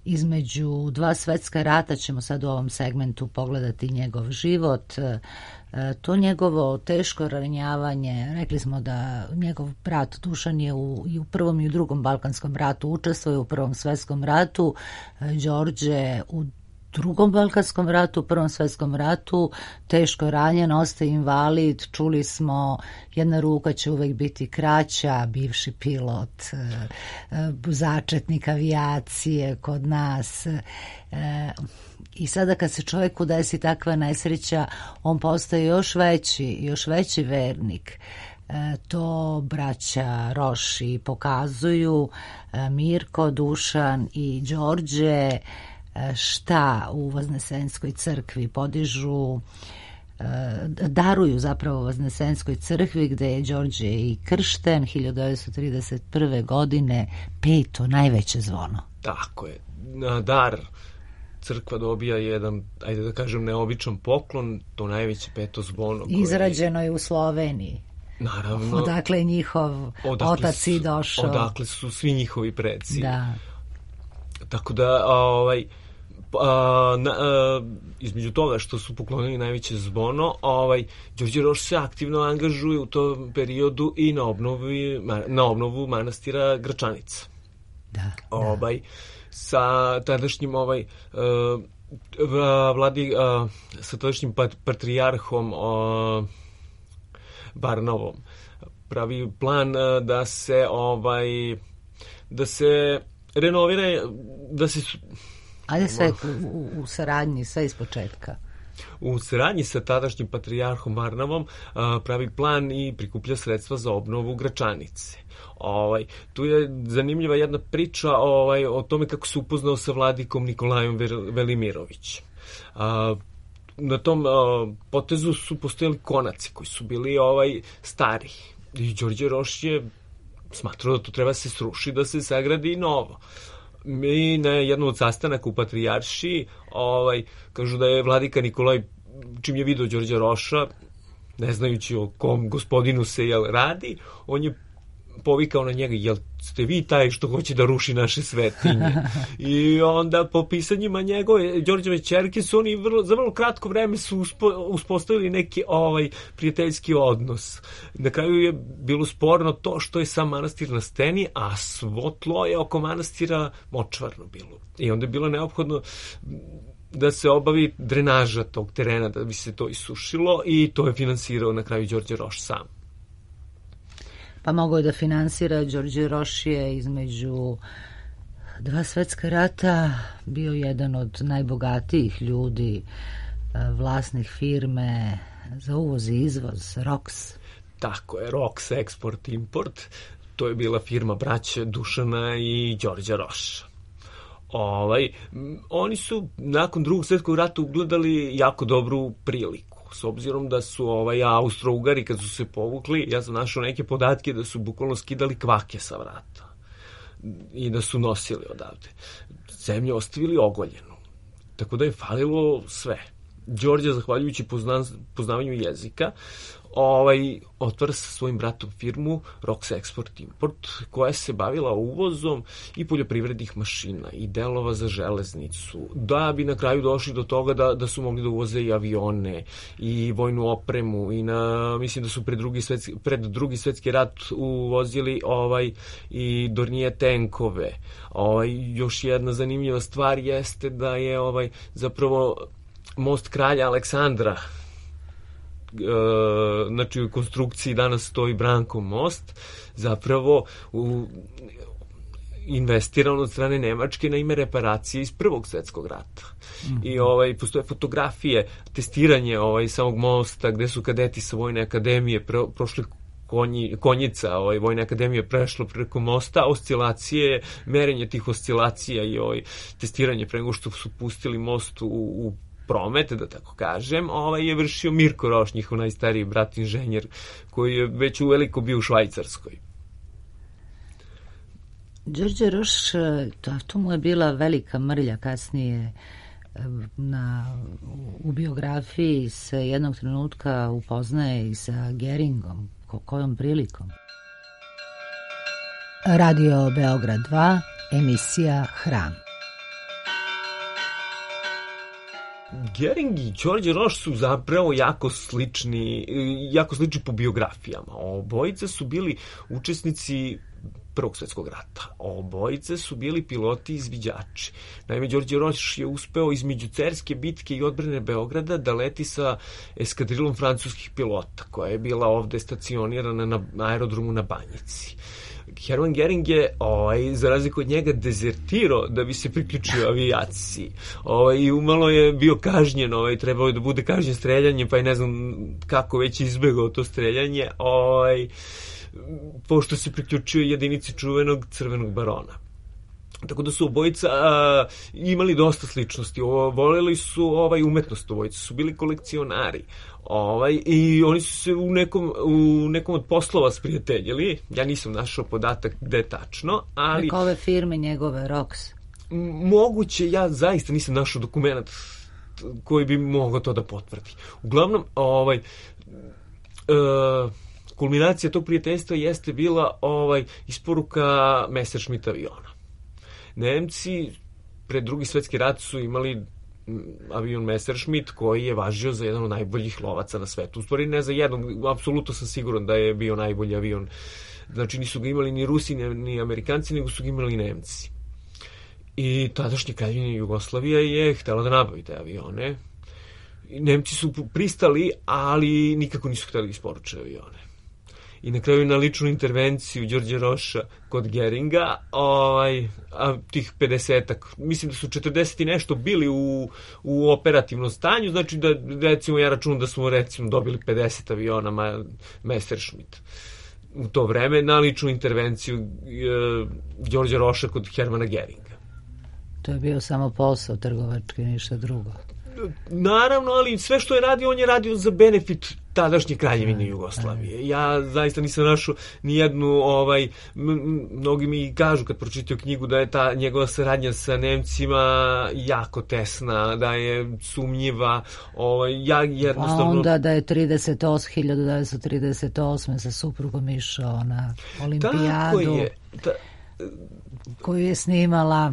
Između dva svetska rata ćemo sad u ovom segmentu pogledati njegov život. To njegovo teško ranjavanje, rekli smo da njegov brat Dušan je u, i u prvom i u drugom Balkanskom ratu učestvuje, u prvom svetskom ratu, Đorđe u drugom Balkanskom ratu, u prvom svetskom ratu, teško ranjen, ostaje invalid, čuli smo, jedna ruka će uvek biti kraća, bivši pilot, začetnik avijacije kod nas. I sada kad se čovjeku desi takva nesreća, on postaje još veći, još veći vernik. To braća Roši pokazuju, Mirko, Dušan i Đorđe, šta u Voznesenskoj crkvi podižu, daruju zapravo Voznesenskoj crkvi, gde je Đorđe i kršten hiljadu devetsto trideset prve. godine, peto najveće zvono. Tako je. Na dar crkva dobija jedan, ajde da kažem, neobičan poklon, to najveće peto zvono. Koje... Izrađeno je u Sloveniji. Naravno. Odakle je njihov otac i došao. Odakle su svi njihovi preci. Da. Tako da, ovaj, a, na, a, između toga što su poklonili najveće zvono, ovaj, Đorđe Roš se aktivno angažuje u tom periodu i na, obnovi, na obnovu manastira Gračanica. Da, ovaj, da. Sa tadašnjim ovaj, uh, vladi, uh, sa tadašnjim patrijarhom uh, Barnovom pravi plan uh, da se ovaj da se renovira, da se... Ajde sve u, u saradnji, sve iz početka. U saradnji sa tadašnjim patrijarhom Varnavom pravi plan i prikuplja sredstva za obnovu Gračanice. Ovaj, tu je zanimljiva jedna priča ovaj, o tome kako se upoznao sa vladikom Nikolajom Velimirović. A, na tom a, potezu su postojali konaci koji su bili ovaj, stari. I Đorđe Roš je smatrao da to treba se sruši, da se sagradi novo. Mi na jednom od sastanaka u Patrijaršiji ovaj, kažu da je vladika Nikolaj, čim je vidio Đorđa Roša, ne znajući o kom gospodinu se jel radi, on je povikao na njega, jel ste vi taj što hoće da ruši naše svetinje? I onda po pisanjima njegove, Đorđeve ćerke su oni vrlo, za vrlo kratko vreme su uspo, uspostavili neki ovaj prijateljski odnos. Na kraju je bilo sporno to što je sam manastir na steni, a svo tlo je oko manastira močvarno bilo. I onda je bilo neophodno da se obavi drenaža tog terena, da bi se to isušilo, i to je finansirao na kraju Đorđe Roš sam. Pa mogao je da finansira. Đorđe Roš je između dva svetska rata bio jedan od najbogatijih ljudi, vlasnik firme za uvoz i izvoz, Roks. Tako je, Roks Export Import. To je bila firma braće Dušana i Đorđa Roša. Ovaj, oni su nakon drugog svjetskog rata ugledali jako dobru priliku. S obzirom da su ovaj, Austro-Ugari kad su se povukli, ja sam našao neke podatke da su bukvalno skidali kvake sa vrata i da su nosili odavde. Zemlju ostavili ogoljenu. Tako da je falilo sve. Đorđe, zahvaljujući pozna, poznavanju jezika, ovaj, otvara sa svojim bratom firmu Roks Export Import, koja se bavila uvozom i poljoprivrednih mašina i delova za železnicu, da bi na kraju došli do toga da, da su mogli da uvoze i avione i vojnu opremu i na, mislim da su pred drugi svetski, pred drugi svetski rat uvozili ovaj, i Dornije tenkove. Ovaj, još jedna zanimljiva stvar jeste da je ovaj, zapravo most kralja Aleksandra, znači u konstrukciji danas stoji Brankov most, zapravo u, investiran od strane Nemačke na ime reparacije iz Prvog svjetskog rata. Mm-hmm. I ovaj, postoje fotografije, testiranje ovaj, samog mosta gde su kadeti sa Vojne akademije pro, prošli konji, konjica ovaj, Vojne akademije prešlo preko mosta, oscilacije, merenje tih oscilacija i ovaj, testiranje pre nego što su pustili most u, u promet, da tako kažem, ovaj je vršio Mirko Roš, njihov najstariji brat inženjer, koji je već uveliko bio u Švajcarskoj. Đorđe Roš, to, to mu je bila velika mrlja kasnije. Na, u biografiji se jednog trenutka upoznaje i sa Geringom. Ko, kojom prilikom? Radio Beograd dva, emisija Hram. Gering i Đorđe Roš su zapravo jako slični, jako slični po biografijama. Obojice su bili učesnici Prvog svjetskog rata. Obojice su bili piloti i izviđači. Naime, Đorđe Roš je uspeo između Cerske bitke i odbrane Beograda da leti sa eskadrilom francuskih pilota, koja je bila ovde stacionirana na aerodromu na Banjici. Hermann Göring je, ovaj, za razliku od njega, dezertirao da bi se priključio avijaciji. Ovaj, I umalo je bio kažnjen, ovaj, trebao je da bude kažnjen streljanjem, pa je ne znam kako već izbegao to streljanje, ovaj, pošto se priključio jedinici čuvenog Crvenog barona. Tako da su obojica a, imali dosta sličnosti. O, voleli su ovaj, umetnost, obojica su bili kolekcionari. Ovaj, i oni su se u nekom, u nekom od poslova sprijateljili. Ja nisam našao podatak gde tačno, ali... Preko ove firme njegove, Roks. Moguće, ja zaista nisam našao dokument koji bi mogao to da potvrdi. Uglavnom, ovaj... E, kulminacija tog prijateljstva jeste bila ovaj, isporuka Messerschmitt aviona. Nemci pred drugi svjetski rat su imali avion Messerschmitt koji je važio za jedan od najboljih lovaca na svetu. U stvari ne za jednog, apsolutno sam siguran da je bio najbolji avion. Znači nisu ga imali ni Rusi ni Amerikanci, nego su ga imali Nemci. I tadašnja Kraljevina Jugoslavija je htela da nabavi te avione. Nemci su pristali, ali nikako nisu hteli isporuče avione. i na kraju na ličnu intervenciju Đorđe Roša kod Geringa, ovaj, a tih pedesetak, mislim da su četrdeset i nešto bili u, u operativnom stanju, znači da recimo ja računam da smo recimo dobili pedeset aviona ma, Messerschmitt u to vreme na ličnu intervenciju e, Đorđe Roša kod Hermana Geringa. To je bio samo posao trgovački, ništa drugo. Naravno, ali sve što je radio, on je radio za benefit tadašnje Kraljevine Jugoslavije. Ja zaista nisam našao ni jednu, ovaj, mnogi mi kažu kad pročitaju knjigu da je ta njegova saradnja sa Nemcima jako tesna, da je sumnjiva, ovaj, ja jednostavno... A onda da je hiljadu devetsto trideset osme sa suprugom išao na olimpijadu je, ta... koju je snimala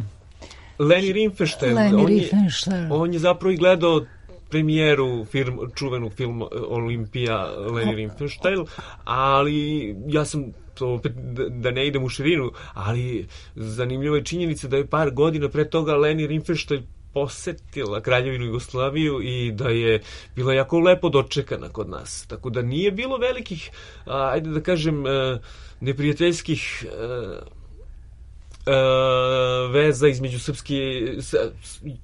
Leni Riefenstahl. Leni on, Riefenstahl. Je, on je zapravo i gledao premijeru film, čuvenog filma Olimpija Leni Riefenstahl, ali ja sam to opet da ne idem u širinu, ali zanimljiva je činjenica da je par godina pre toga Leni Riefenstahl posetila Kraljevinu Jugoslaviju i da je bila jako lepo dočekana kod nas. Tako da nije bilo velikih, ajde da kažem, neprijateljskih veza između srpske,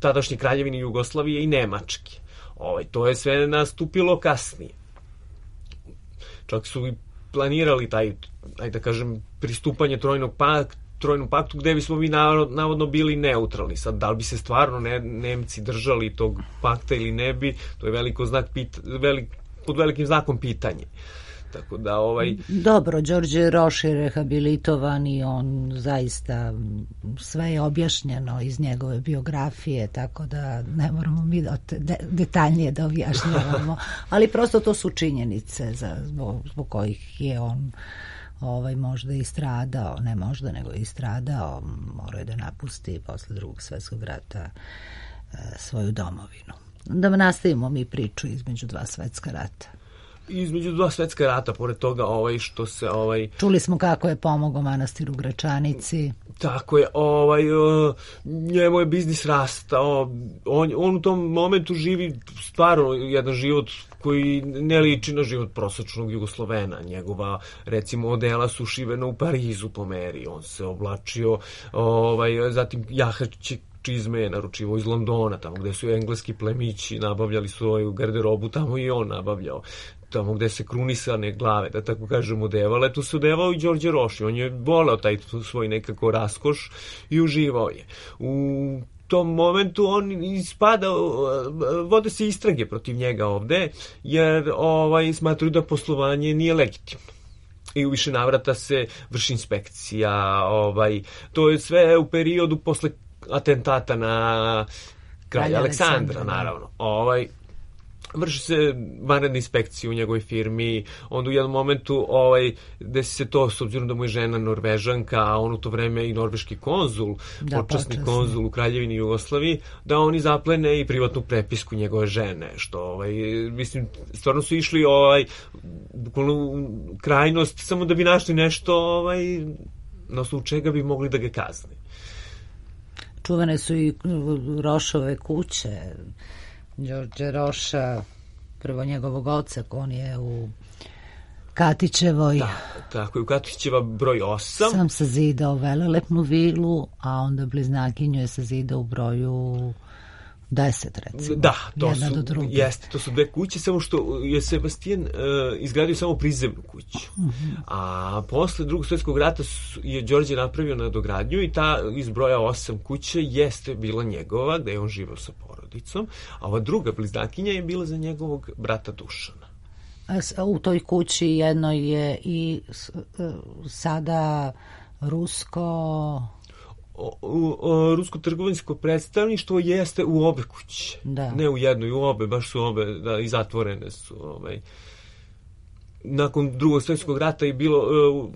tadašnje Kraljevine Jugoslavije i Nemačke. Ovaj, to je sve nastupilo kasnije. Čak su i planirali taj, ajde da kažem, pristupanje trojnog pakta, trojnom paktu gde bismo mi navodno bili neutralni. Sad, da li bi se stvarno ne, Nemci držali tog pakta ili ne bi, to je veliko znak pita, velik, pod velikim znakom pitanje. Tako da, ovaj... Dobro, Đorđe Roš je rehabilitovan i on zaista sve je objašnjeno iz njegove biografije, tako da ne moramo mi de, detaljnije da objašnjavamo, ali prosto to su činjenice za, zbog, zbog kojih je on ovaj, možda i stradao, ne možda, nego i stradao, morao je da napusti posle drugog svjetskog rata e, svoju domovinu. Da nastavimo mi priču između dva svjetska rata. Između dva svetska rata, pored toga ovaj što se ovaj čuli smo kako je pomogao manastiru Gračanici. Tako je, ovaj njemu je biznis rastao. On on u tom momentu živi stvarno jedan život koji ne liči na život prosečnog Jugoslovena. Njegova recimo odela su šivena u Parizu po meri. On se oblačio ovaj zatim jahač čizme je naručivao iz Londona, tamo gde su engleski plemići nabavljali svoju garderobu, tamo i on nabavljao. Tamo gde se krunisane glave, da tako kažem, odevale, tu se odevao i Đorđe Roš. On je volao taj svoj nekako raskoš i uživao je. U tom momentu on ispada, vode se istrage protiv njega ovde, jer ovaj, smatruju da poslovanje nije legitimno. I u više navrata se vrši inspekcija. Ovaj, to je sve u periodu posle atentata na kralja Aleksandra, Aleksandra, naravno. Ovaj, vrši se vanredna inspekcija u njegovoj firmi, onda u jednom momentu ovaj, desi se to, s obzirom da mu je žena Norvežanka, a on u to vreme i norveški konzul, da, počasni konzul u Kraljevini Jugoslaviji, da oni zaplene i privatnu prepisku njegove žene, što, ovaj, mislim, stvarno su išli ovaj, bukvalno krajnost, samo da bi našli nešto ovaj, na osnovu čega bi mogli da ga kazne. Čuvane su i Rošove kuće, Đorđe Roša, prvo njegovog oca, on je u Katićevoj. Da, tako je, u Katićeva broj osam. Sam sazidao velelepnu vilu, a onda bliznakinju je sazidao u broju deset, recimo. Da, to su, jeste, to su dve kuće, samo što je Sebastijan uh, izgradio samo prizemnu kuću. Uh-huh. A posle drugog svjetskog rata je Đorđe napravio nadogradnju i ta iz broja osam kuće jeste bila njegova, gde je on živao sa porodicom, a ova druga bliznakinja je bila za njegovog brata Dušana. A u toj kući jedno je i sada rusko... O, o, o, rusko trgovinsko predstavništvo jeste u obe kuće. Da. Ne u jednoj, u obe, baš su obe, da, i zatvorene su. Ovaj. Nakon drugog svjetskog rata je bilo, uh,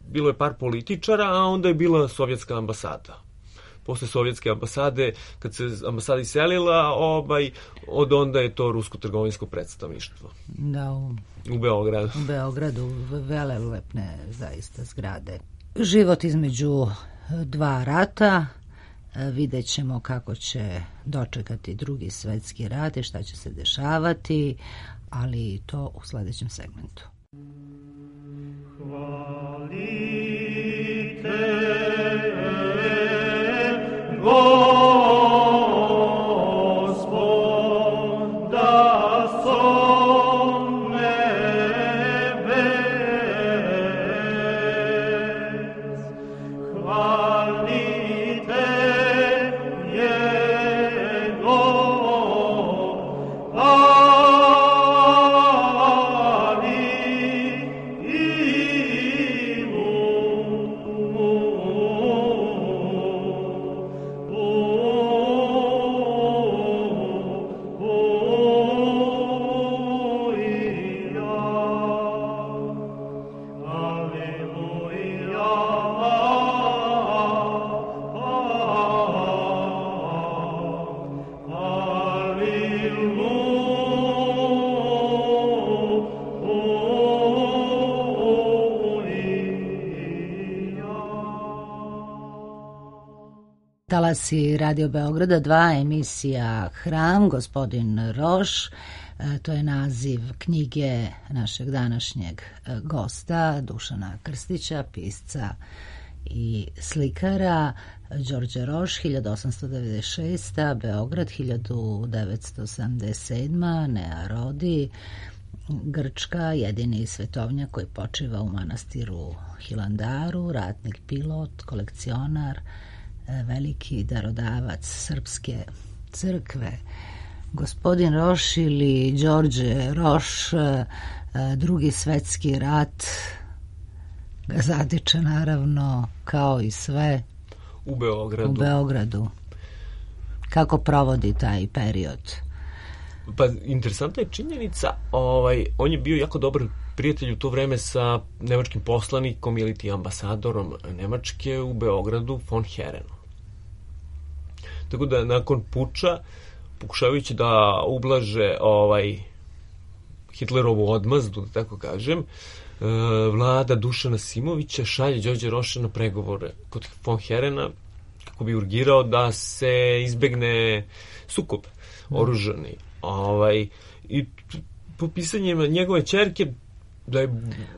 bilo je par političara, a onda je bila sovjetska ambasada. Posle sovjetske ambasade, kad se ambasada iselila, ovaj, od onda je to rusko trgovinsko predstavništvo. Da, u, u Beogradu. U Beogradu, velelepne zaista zgrade. Život između dva rata, vidjet ćemo kako će dočekati drugi svetski rat i šta će se dešavati, ali to u sledećem segmentu. Talasi Radio Beograda dva, emisija Hram, gospodin Roš, to je naziv knjige našeg današnjeg gosta, Dušana Krstića, pisca i slikara. Đorđe Roš, hiljadu osamsto devedeset šesta. Beograd, hiljadu devetsto sedamdeset sedma. Nea Rodi, Grčka, jedini svetovnjak koji počiva u manastiru Hilandaru, ratnik pilot, kolekcionar, veliki darodavac srpske crkve. Gospodin Roš ili Đorđe Roš, Drugi svetski rat ga zatiče naravno kao i sve u Beogradu. U Beogradu. Kako provodi taj period? Pa interesantna je činjenica, ovaj, on je bio jako dobar prijatelj u to vreme sa nemačkim poslanikom ili ti ambasadorom Nemačke u Beogradu, von Herenom. Tako da nakon puča, pokušavajući da ublaže ovaj Hitlerovu odmazdu, da tako kažem, vlada Dušana Simovića šalje Đorđe Roša na pregovore kod von Herena kako bi urgirao da se izbegne sukob oružani. Ovaj, i po pisanjima njegove ćerke da je...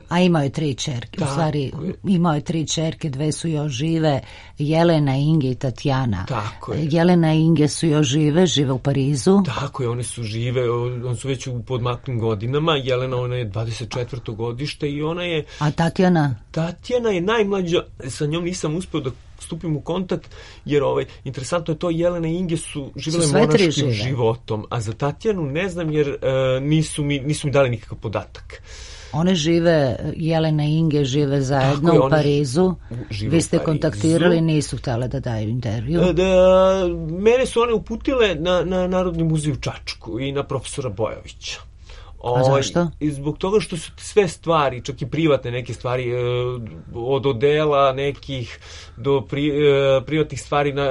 A imao je tri ćerke, u stvari imao je tri ćerke, dve su još žive, Jelena, Inge i Tatjana. Tako je. Jelena i Inge su još žive, žive u Parizu. Tako je, one su žive, one su već u podmaklim godinama, Jelena, ona je dvadeset četvrto godište i ona je... A Tatjana? Tatjana je najmlađa, sa njom nisam uspeo da stupim u kontakt, jer ovaj, interesantno je to, Jelena i Inge su živele monaškim životom, a za Tatjanu ne znam, jer uh, nisu, mi, nisu mi dali nikakav podatak. One žive, Jelena i Inge žive zajedno je, u Parizu. Vi ste kontaktirali, nisu htjele da daju intervju. Da, mene su one uputile na, na Narodni muzej u Čačku i na profesora Bojovića. A zašto? I zbog toga što su sve stvari, čak i privatne neke stvari, od odela nekih do pri, privatnih stvari na,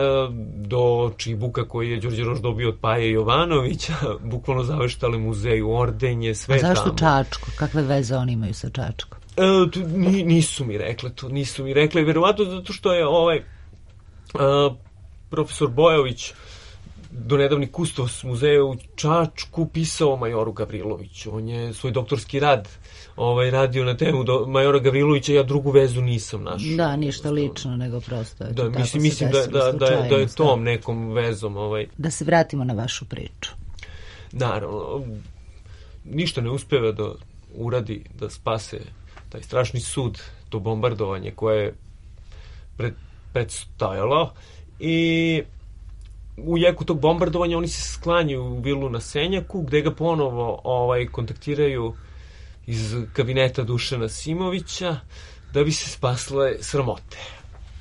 do čibuka koji je Đorđe Roš dobio od Paje Jovanovića, bukvalno zaveštale muzeju, ordenje, sve tamo. A zašto tamo. Čačko? Kakve veze oni imaju sa Čačkom? E, tu, nisu mi rekle to, nisu mi rekle, verovatno zato što je ovaj uh, profesor Bojović, donedavni kustos muzeja u Čačku, pisao majoru Gavriloviću. On je svoj doktorski rad ovaj, radio na temu do majora Gavrilovića, ja drugu vezu nisam našao. Da, ništa lično, nego prosto. Da, mislim, mislim da, da, da, je, da je tom nekom vezom. Ovaj. Da se vratimo na vašu priču. Naravno, ništa ne uspeva da uradi, da spase taj strašni sud, to bombardovanje koje je pred, predstajalo i u jeku tog bombardovanja oni se sklanjaju u vilu na Senjaku, gde ga ponovo ovaj, kontaktiraju iz kabineta Dušana Simovića da bi se spasle sramote.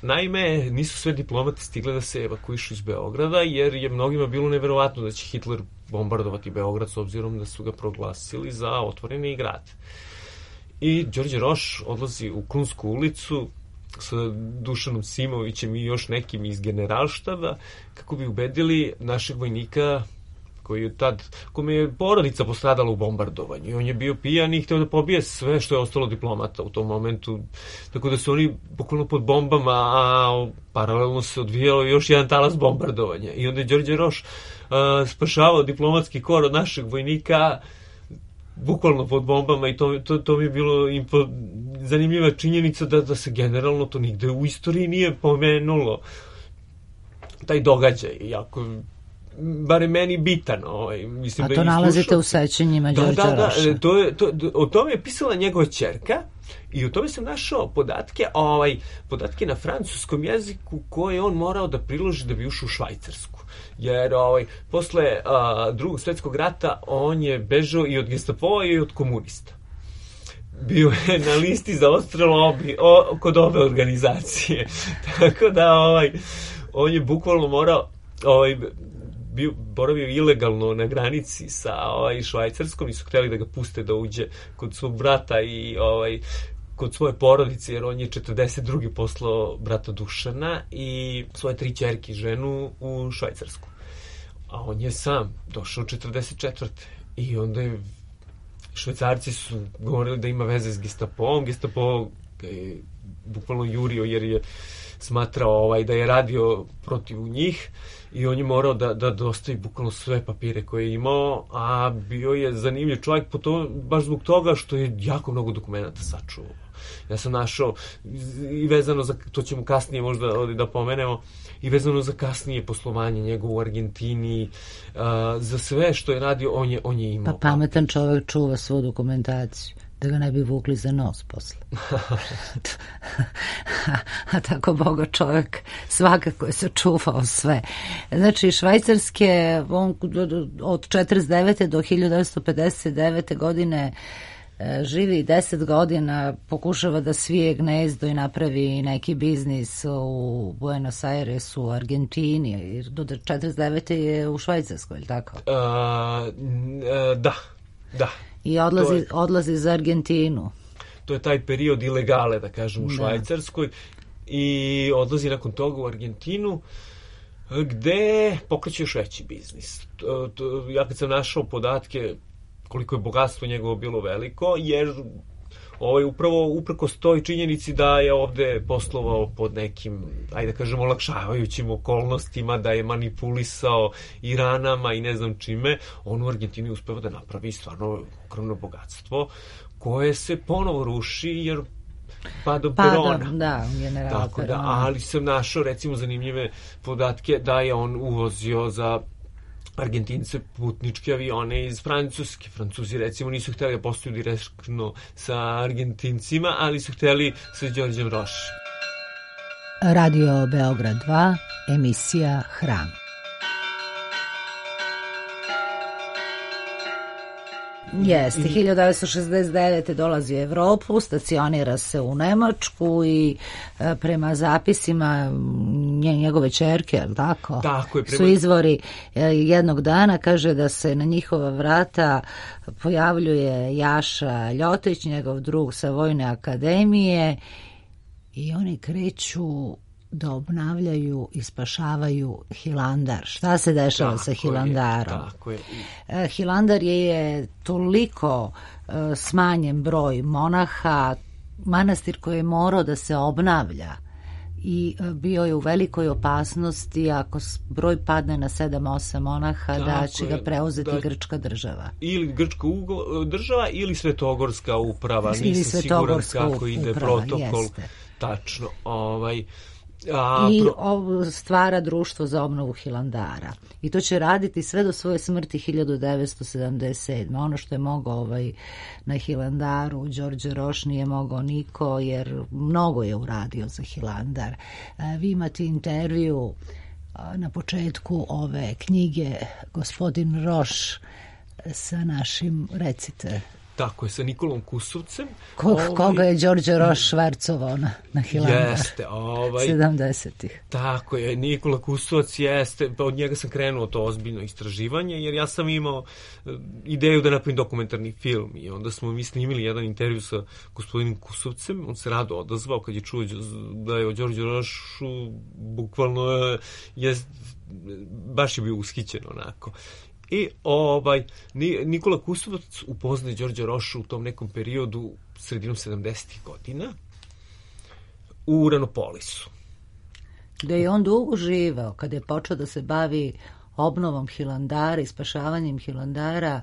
Naime, nisu sve diplomate stigle da se evakuišu iz Beograda, jer je mnogima bilo neverovatno da će Hitler bombardovati Beograd s obzirom da su ga proglasili za otvoreni grad. I Đorđe Roš odlazi u Krunsku ulicu sa Dušanom Simovićem i još nekim iz generalštaba kako bi ubedili našeg vojnika koji je tad, kome je porodica postradala u bombardovanju i on je bio pijan i hteo da pobije sve što je ostalo diplomata u tom momentu, tako da su oni bukvalno pod bombama, a paralelno se odvijalo još jedan talas bombardovanja i onda je Đorđe Roš uh, spašavao diplomatski kor od našeg vojnika bukvalno pod bombama i to, to, to mi je bilo impo, zanimljiva činjenica da, da se generalno to nigde u istoriji nije pomenulo, taj događaj, jako bare meni bitan. Ovaj, mislim, a da to nalazite slušao... u sećanjima da, Đorđa da, da, Roša. to je, to, o tome je pisala njegova ćerka i o tome sam našao podatke, ovaj, podatke na francuskom jeziku koje on morao da priloži da bi ušao u Švajcarsku. Jer ovaj, posle a, drugog svetskog rata on je bežao i od Gestapoa i od komunista. Bio je na listi za odstrel obi, o, kod ove organizacije. Tako da ovaj, on je bukvalno morao ovaj, bio, boravio ilegalno na granici sa ovaj, Švajcarskom i su hteli da ga puste da uđe kod svog brata i ovaj, kod svoje porodice, jer on je četrdeset druge poslao brata Dušana i svoje tri ćerke ženu u Švajcarsku. A on je sam došao četrdeset četvrte i onda je Švajcarci su govorili da ima veze s Gestapoom. Gestapo ga je bukvalno jurio jer je smatrao ovaj, da je radio protiv njih i on je morao da, da dostavi bukvalno sve papire koje je imao, a bio je zanimljiv čovjek po to, baš zbog toga što je jako mnogo dokumenta sačuvao. Ja sam našao i vezano za, to ćemo kasnije možda ovdje da pomenemo, i vezano za kasnije poslovanje njegovo u Argentini, uh, za sve što je radio, on je, on je imao. Pa pametan čovjek čuva svu dokumentaciju, da ga ne bi vukli za nos posle. a, a tako boga čovjek svakako je sačuvao sve. Znači, švajcarske, on od četrdeset devete do hiljadu devetsto pedeset devete godine živi deset godina, pokušava da svije gnezdo i napravi neki biznis u Buenos Airesu, u Argentini, jer do četrdeset devete je u Švajcarskoj, ili tako? Uh, da, da. I odlazi, je, odlazi za Argentinu. To je taj period ilegale, da kažem, u da. Švajcarskoj i odlazi nakon toga u Argentinu, gde pokreće još veći biznis. To, to, ja kad sam našao podatke koliko je bogatstvo njegovo bilo veliko, jer ovaj, upravo upreko stoji činjenici da je ovde poslovao pod nekim, ajde da kažemo, olakšavajućim okolnostima, da je manipulisao i ranama i ne znam čime, on u Argentini uspeva da napravi stvarno ogromno bogatstvo, koje se ponovo ruši, jer padom Pada, Perona. Da, general Tako Perona. da, ali sam našao, recimo, zanimljive podatke da je on uvozio za Argentince putničke avione iz Francuske. Francuzi, recimo, nisu hteli da postoju direktno sa Argentincima, ali su hteli sa Đorđem Rošem. Radio Beograd dva, emisija Hram. Jeste, hiljadu devetsto šezdeset devete dolazi u Evropu, stacionira se u Nemačku i e, prema zapisima njegove ćerke, je li tako? Tako je. Prema... Su izvori e, jednog dana, kaže da se na njihova vrata pojavljuje Jaša Ljotić, njegov drug sa Vojne akademije, i oni kreću da obnavljaju i spašavaju Hilandar. Šta se dešava tako sa Hilandarom? Je, tako je. Hilandar je toliko uh, smanjen broj monaha, manastir koji je morao da se obnavlja i uh, bio je u velikoj opasnosti ako broj padne na sedam osam monaha, tako da će je, ga preuzeti da, grčka država. Ili grčka ugo, država ili Svetogorska uprava. Nisam siguran kako ide uprava, protokol. Jeste. Tačno. Ovaj... A, I pro... stvara društvo za obnovu Hilandara. I to će raditi sve do svoje smrti hiljadu devetsto sedamdeset sedme. Ono što je mogao ovaj, na Hilandaru Đorđe Roš nije mogao niko, jer mnogo je uradio za Hilandar. Vi imate intervju na početku ove knjige, gospodin Roš sa našim, recite. Tako je, sa Nikolom Kusovcem. Ko, ovaj, koga je Đorđe Roš švercovao na, na Hilandar? Jeste, ovaj... sedamdesetih. Tako je, Nikola Kusovac jeste, pa od njega sam krenuo to ozbiljno istraživanje, jer ja sam imao ideju da napravim dokumentarni film i onda smo mi snimili jedan intervju sa gospodinom Kusovcem, on se rado odazvao kad je čuo da je o Đorđu Rošu, bukvalno je, baš je bio ushićen onako. I ovaj, Nikola Kusovac upoznaje Đorđa Rošu u tom nekom periodu sredinom sedamdesetih godina u Uranopolisu. Da je on dugo živeo, kada je počeo da se bavi obnovom Hilandara i spašavanjem Hilandara,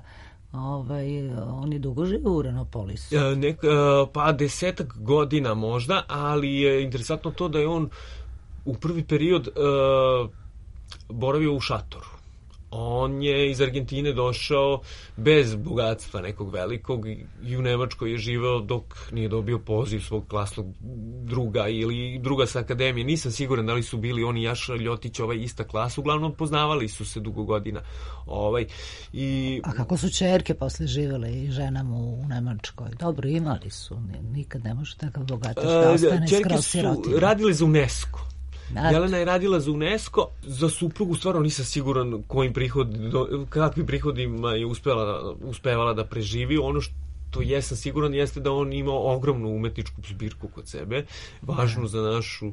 Ovaj, on je dugo živio u Renopolisu. E, nek, e, pa desetak godina možda, ali je interesantno to da je on u prvi period e, boravio u šatoru. On je iz Argentine došao bez bogatstva nekog velikog i u Nemačkoj je živeo dok nije dobio poziv svog klasnog druga ili druga sa akademije. Nisam siguran da li su bili oni Jaša Ljotić, ovaj ista klasa, uglavnom poznavali su se dugo godina. Ovaj, i... A kako su čerke posle živele i ženama u Nemačkoj? Dobro, imali su, nikad ne može takav bogataš da ostane skroz sirotinja. Čerke su radile za UNESCO. Jelena je radila za UNESCO, za suprugu stvarno nisam siguran kojim prihod, kakvim prihodima je uspela, uspevala da preživi. Ono što jesam siguran jeste da on imao ogromnu umetničku zbirku kod sebe, važnu za našu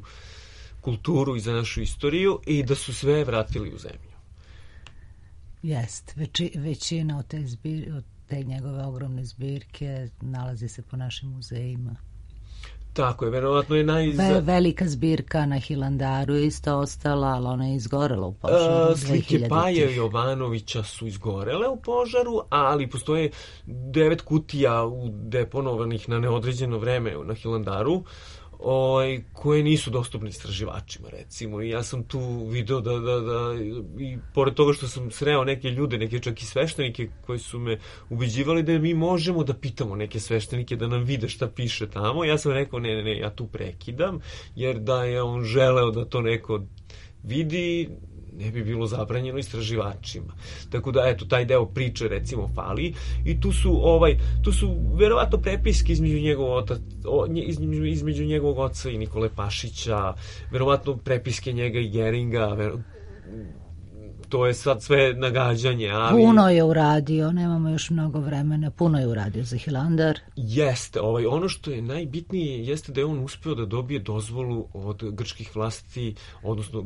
kulturu i za našu istoriju, i da su sve vratili u zemlju. Jest, Veći, većina od te, zbir, od te njegove ogromne zbirke nalazi se po našim muzejima. Tako je, verovatno je naj... Ve, velika zbirka na Hilandaru je isto ostala, ali ona je izgorela u požaru. Uh, slike Paje Jovanovića su izgorele u požaru, ali postoje devet kutija deponovanih na neodređeno vreme na Hilandaru, Oj, koje nisu dostupne istraživačima, recimo. I ja sam tu video da, da, da, i pored toga što sam sreo neke ljude, neke čak i sveštenike koji su me ubeđivali da mi možemo da pitamo neke sveštenike da nam vide šta piše tamo, ja sam rekao ne, ne, ne, ja tu prekidam, jer da je on želeo da to neko vidi, ne bi bilo zabranjeno istraživačima. Tako da, eto, taj deo priče, recimo, fali. I tu su, ovaj, tu su verovatno prepiske između njegovog otac, između, između njegovog oca i Nikole Pašića, verovatno prepiske njega i Geringa, ver, to je sad sve nagađanje, ali... Puno je uradio, nemamo još mnogo vremena, puno je uradio za Hilandar. Jeste, ovaj, ono što je najbitnije jeste da je on uspeo da dobije dozvolu od grčkih vlasti, odnosno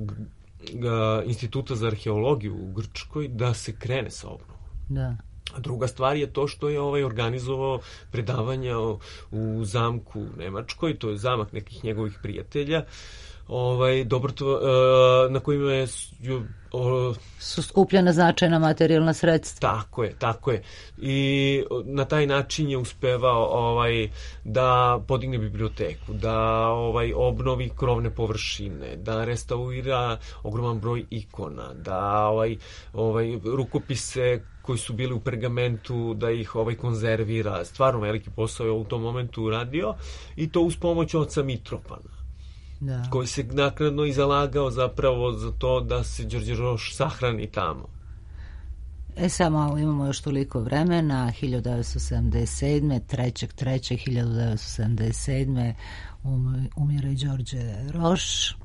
Instituta za arheologiju u Grčkoj, da se krene sa obnovom. Da. A druga stvar je to što je ovaj organizovao predavanja u zamku u Nemačkoj, to je zamak nekih njegovih prijatelja, ovaj, dobrotvo, na kojima je o, su skupljena značajna materijalna sredstva. Tako je, tako je. I na taj način je uspevao ovaj, da podigne biblioteku, da ovaj, obnovi krovne površine, da restaurira ogroman broj ikona, da ovaj, ovaj, rukopise koji su bili u pergamentu, da ih ovaj konzervira. Stvarno veliki posao je u tom momentu uradio, i to uz pomoć oca Mitropana. Da. Koji se naknadno i zalagao zapravo za to da se Đorđe Roš sahrani tamo. E samo imamo još toliko vremena. hiljadu devetsto sedamdeset sedme trećeg trećeg hiljadu devetsto sedamdeset sedme um, umire Đorđe Roš,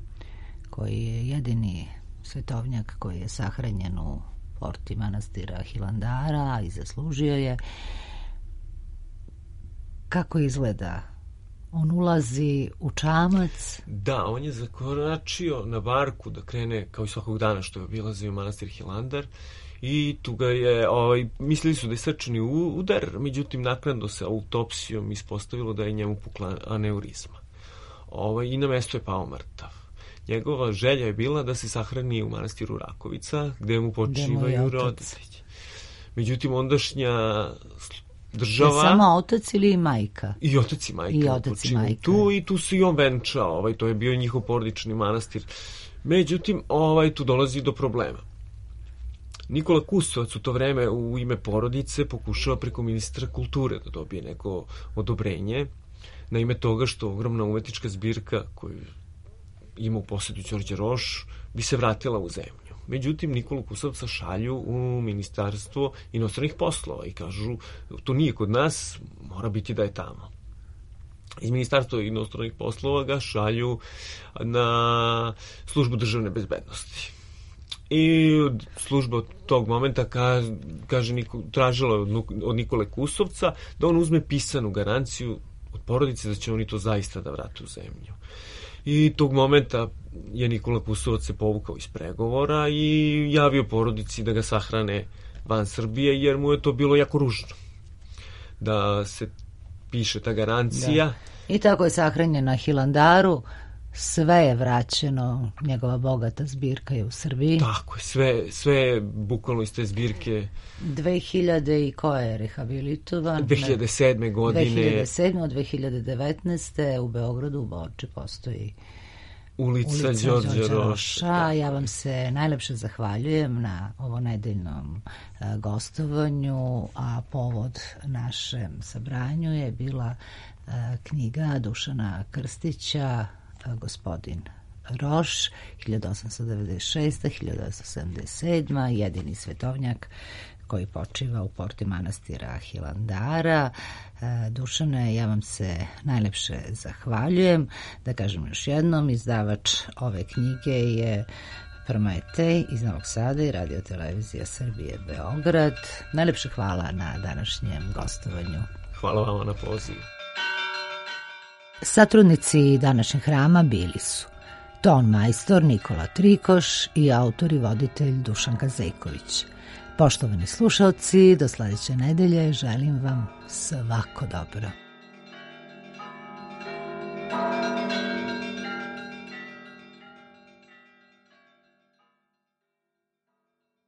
koji je jedini svetovnjak koji je sahranjen u porti manastira Hilandara i zaslužio je. Kako izgleda? On ulazi u čamac. Da, on je zakoračio na barku da krene kao i svakog dana što je obilazio manastir Hilandar, i tu ga je, ovaj, mislili su da je srčani udar, međutim naknadno se autopsijom ispostavilo da je njemu pukla aneurizma. Ovaj, i na mesto je pao mrtav. Njegova želja je bila da se sahrani u manastiru Rakovica, gde mu počivaju roditelji. Međutim, ondašnja država... Je samo otac ili majka? I otac i majka. I otac i majka. Tu, i tu se i on venčao, ovaj, to je bio njihov porodični manastir. Međutim, ovaj, tu dolazi do problema. Nikola Kusovac u to vreme u ime porodice pokušava preko ministra kulture da dobije neko odobrenje na ime toga što ogromna umetnička zbirka koju ima u posjedu Đorđe Roš bi se vratila u zemlju. Međutim, Nikolu Kusovca šalju u ministarstvo inostranih poslova i kažu, to nije kod nas, mora biti da je tamo. Iz ministarstva inostranih poslova ga šalju na službu državne bezbednosti. I služba od tog momenta kaže, kaže tražila od Nikole Kusovca da on uzme pisanu garanciju od porodice da će oni to zaista da vrate u zemlju. I tog momenta je Nikola Kusovac se povukao iz pregovora i javio porodici da ga sahrane van Srbije, jer mu je to bilo jako ružno da se piše ta garancija. Da. I tako je sahranjen na Hilandaru sve je vraćeno, njegova bogata zbirka je u Srbiji. Tako je, sve, sve bukvalno iz te zbirke. dve hiljade i ko je rehabilitovan? dve hiljade sedme godine. dve hiljade sedme od dve hiljade devetnaeste u Beogradu, u Borči, postoji Ulica, Ulica Đorđe Roša. Ja vam se najlepše zahvaljujem na ovo nedeljnom uh, gostovanju, a povod našem sabranju je bila uh, knjiga Dušana Krstića, uh, Gospodin Roš, hiljadu osamsto devedeset šeste do hiljadu devetsto sedamdeset sedme. jedini svetovnjak koji počiva u porti manastira Hilandara. Dušane, ja vam se najlepše zahvaljujem. Da kažem još jednom, izdavač ove knjige je Prometej iz Novog Sada i Radio Televizija Srbije Beograd. Najlepše hvala na današnjem gostovanju. Hvala vama na pozivu. Satrudnici današnjeg hrama bili su ton majstor Nikola Trikoš i autor i voditelj Dušan Kazejković. Poštovani slušalci, do sledeće nedelje želim vam svako dobro.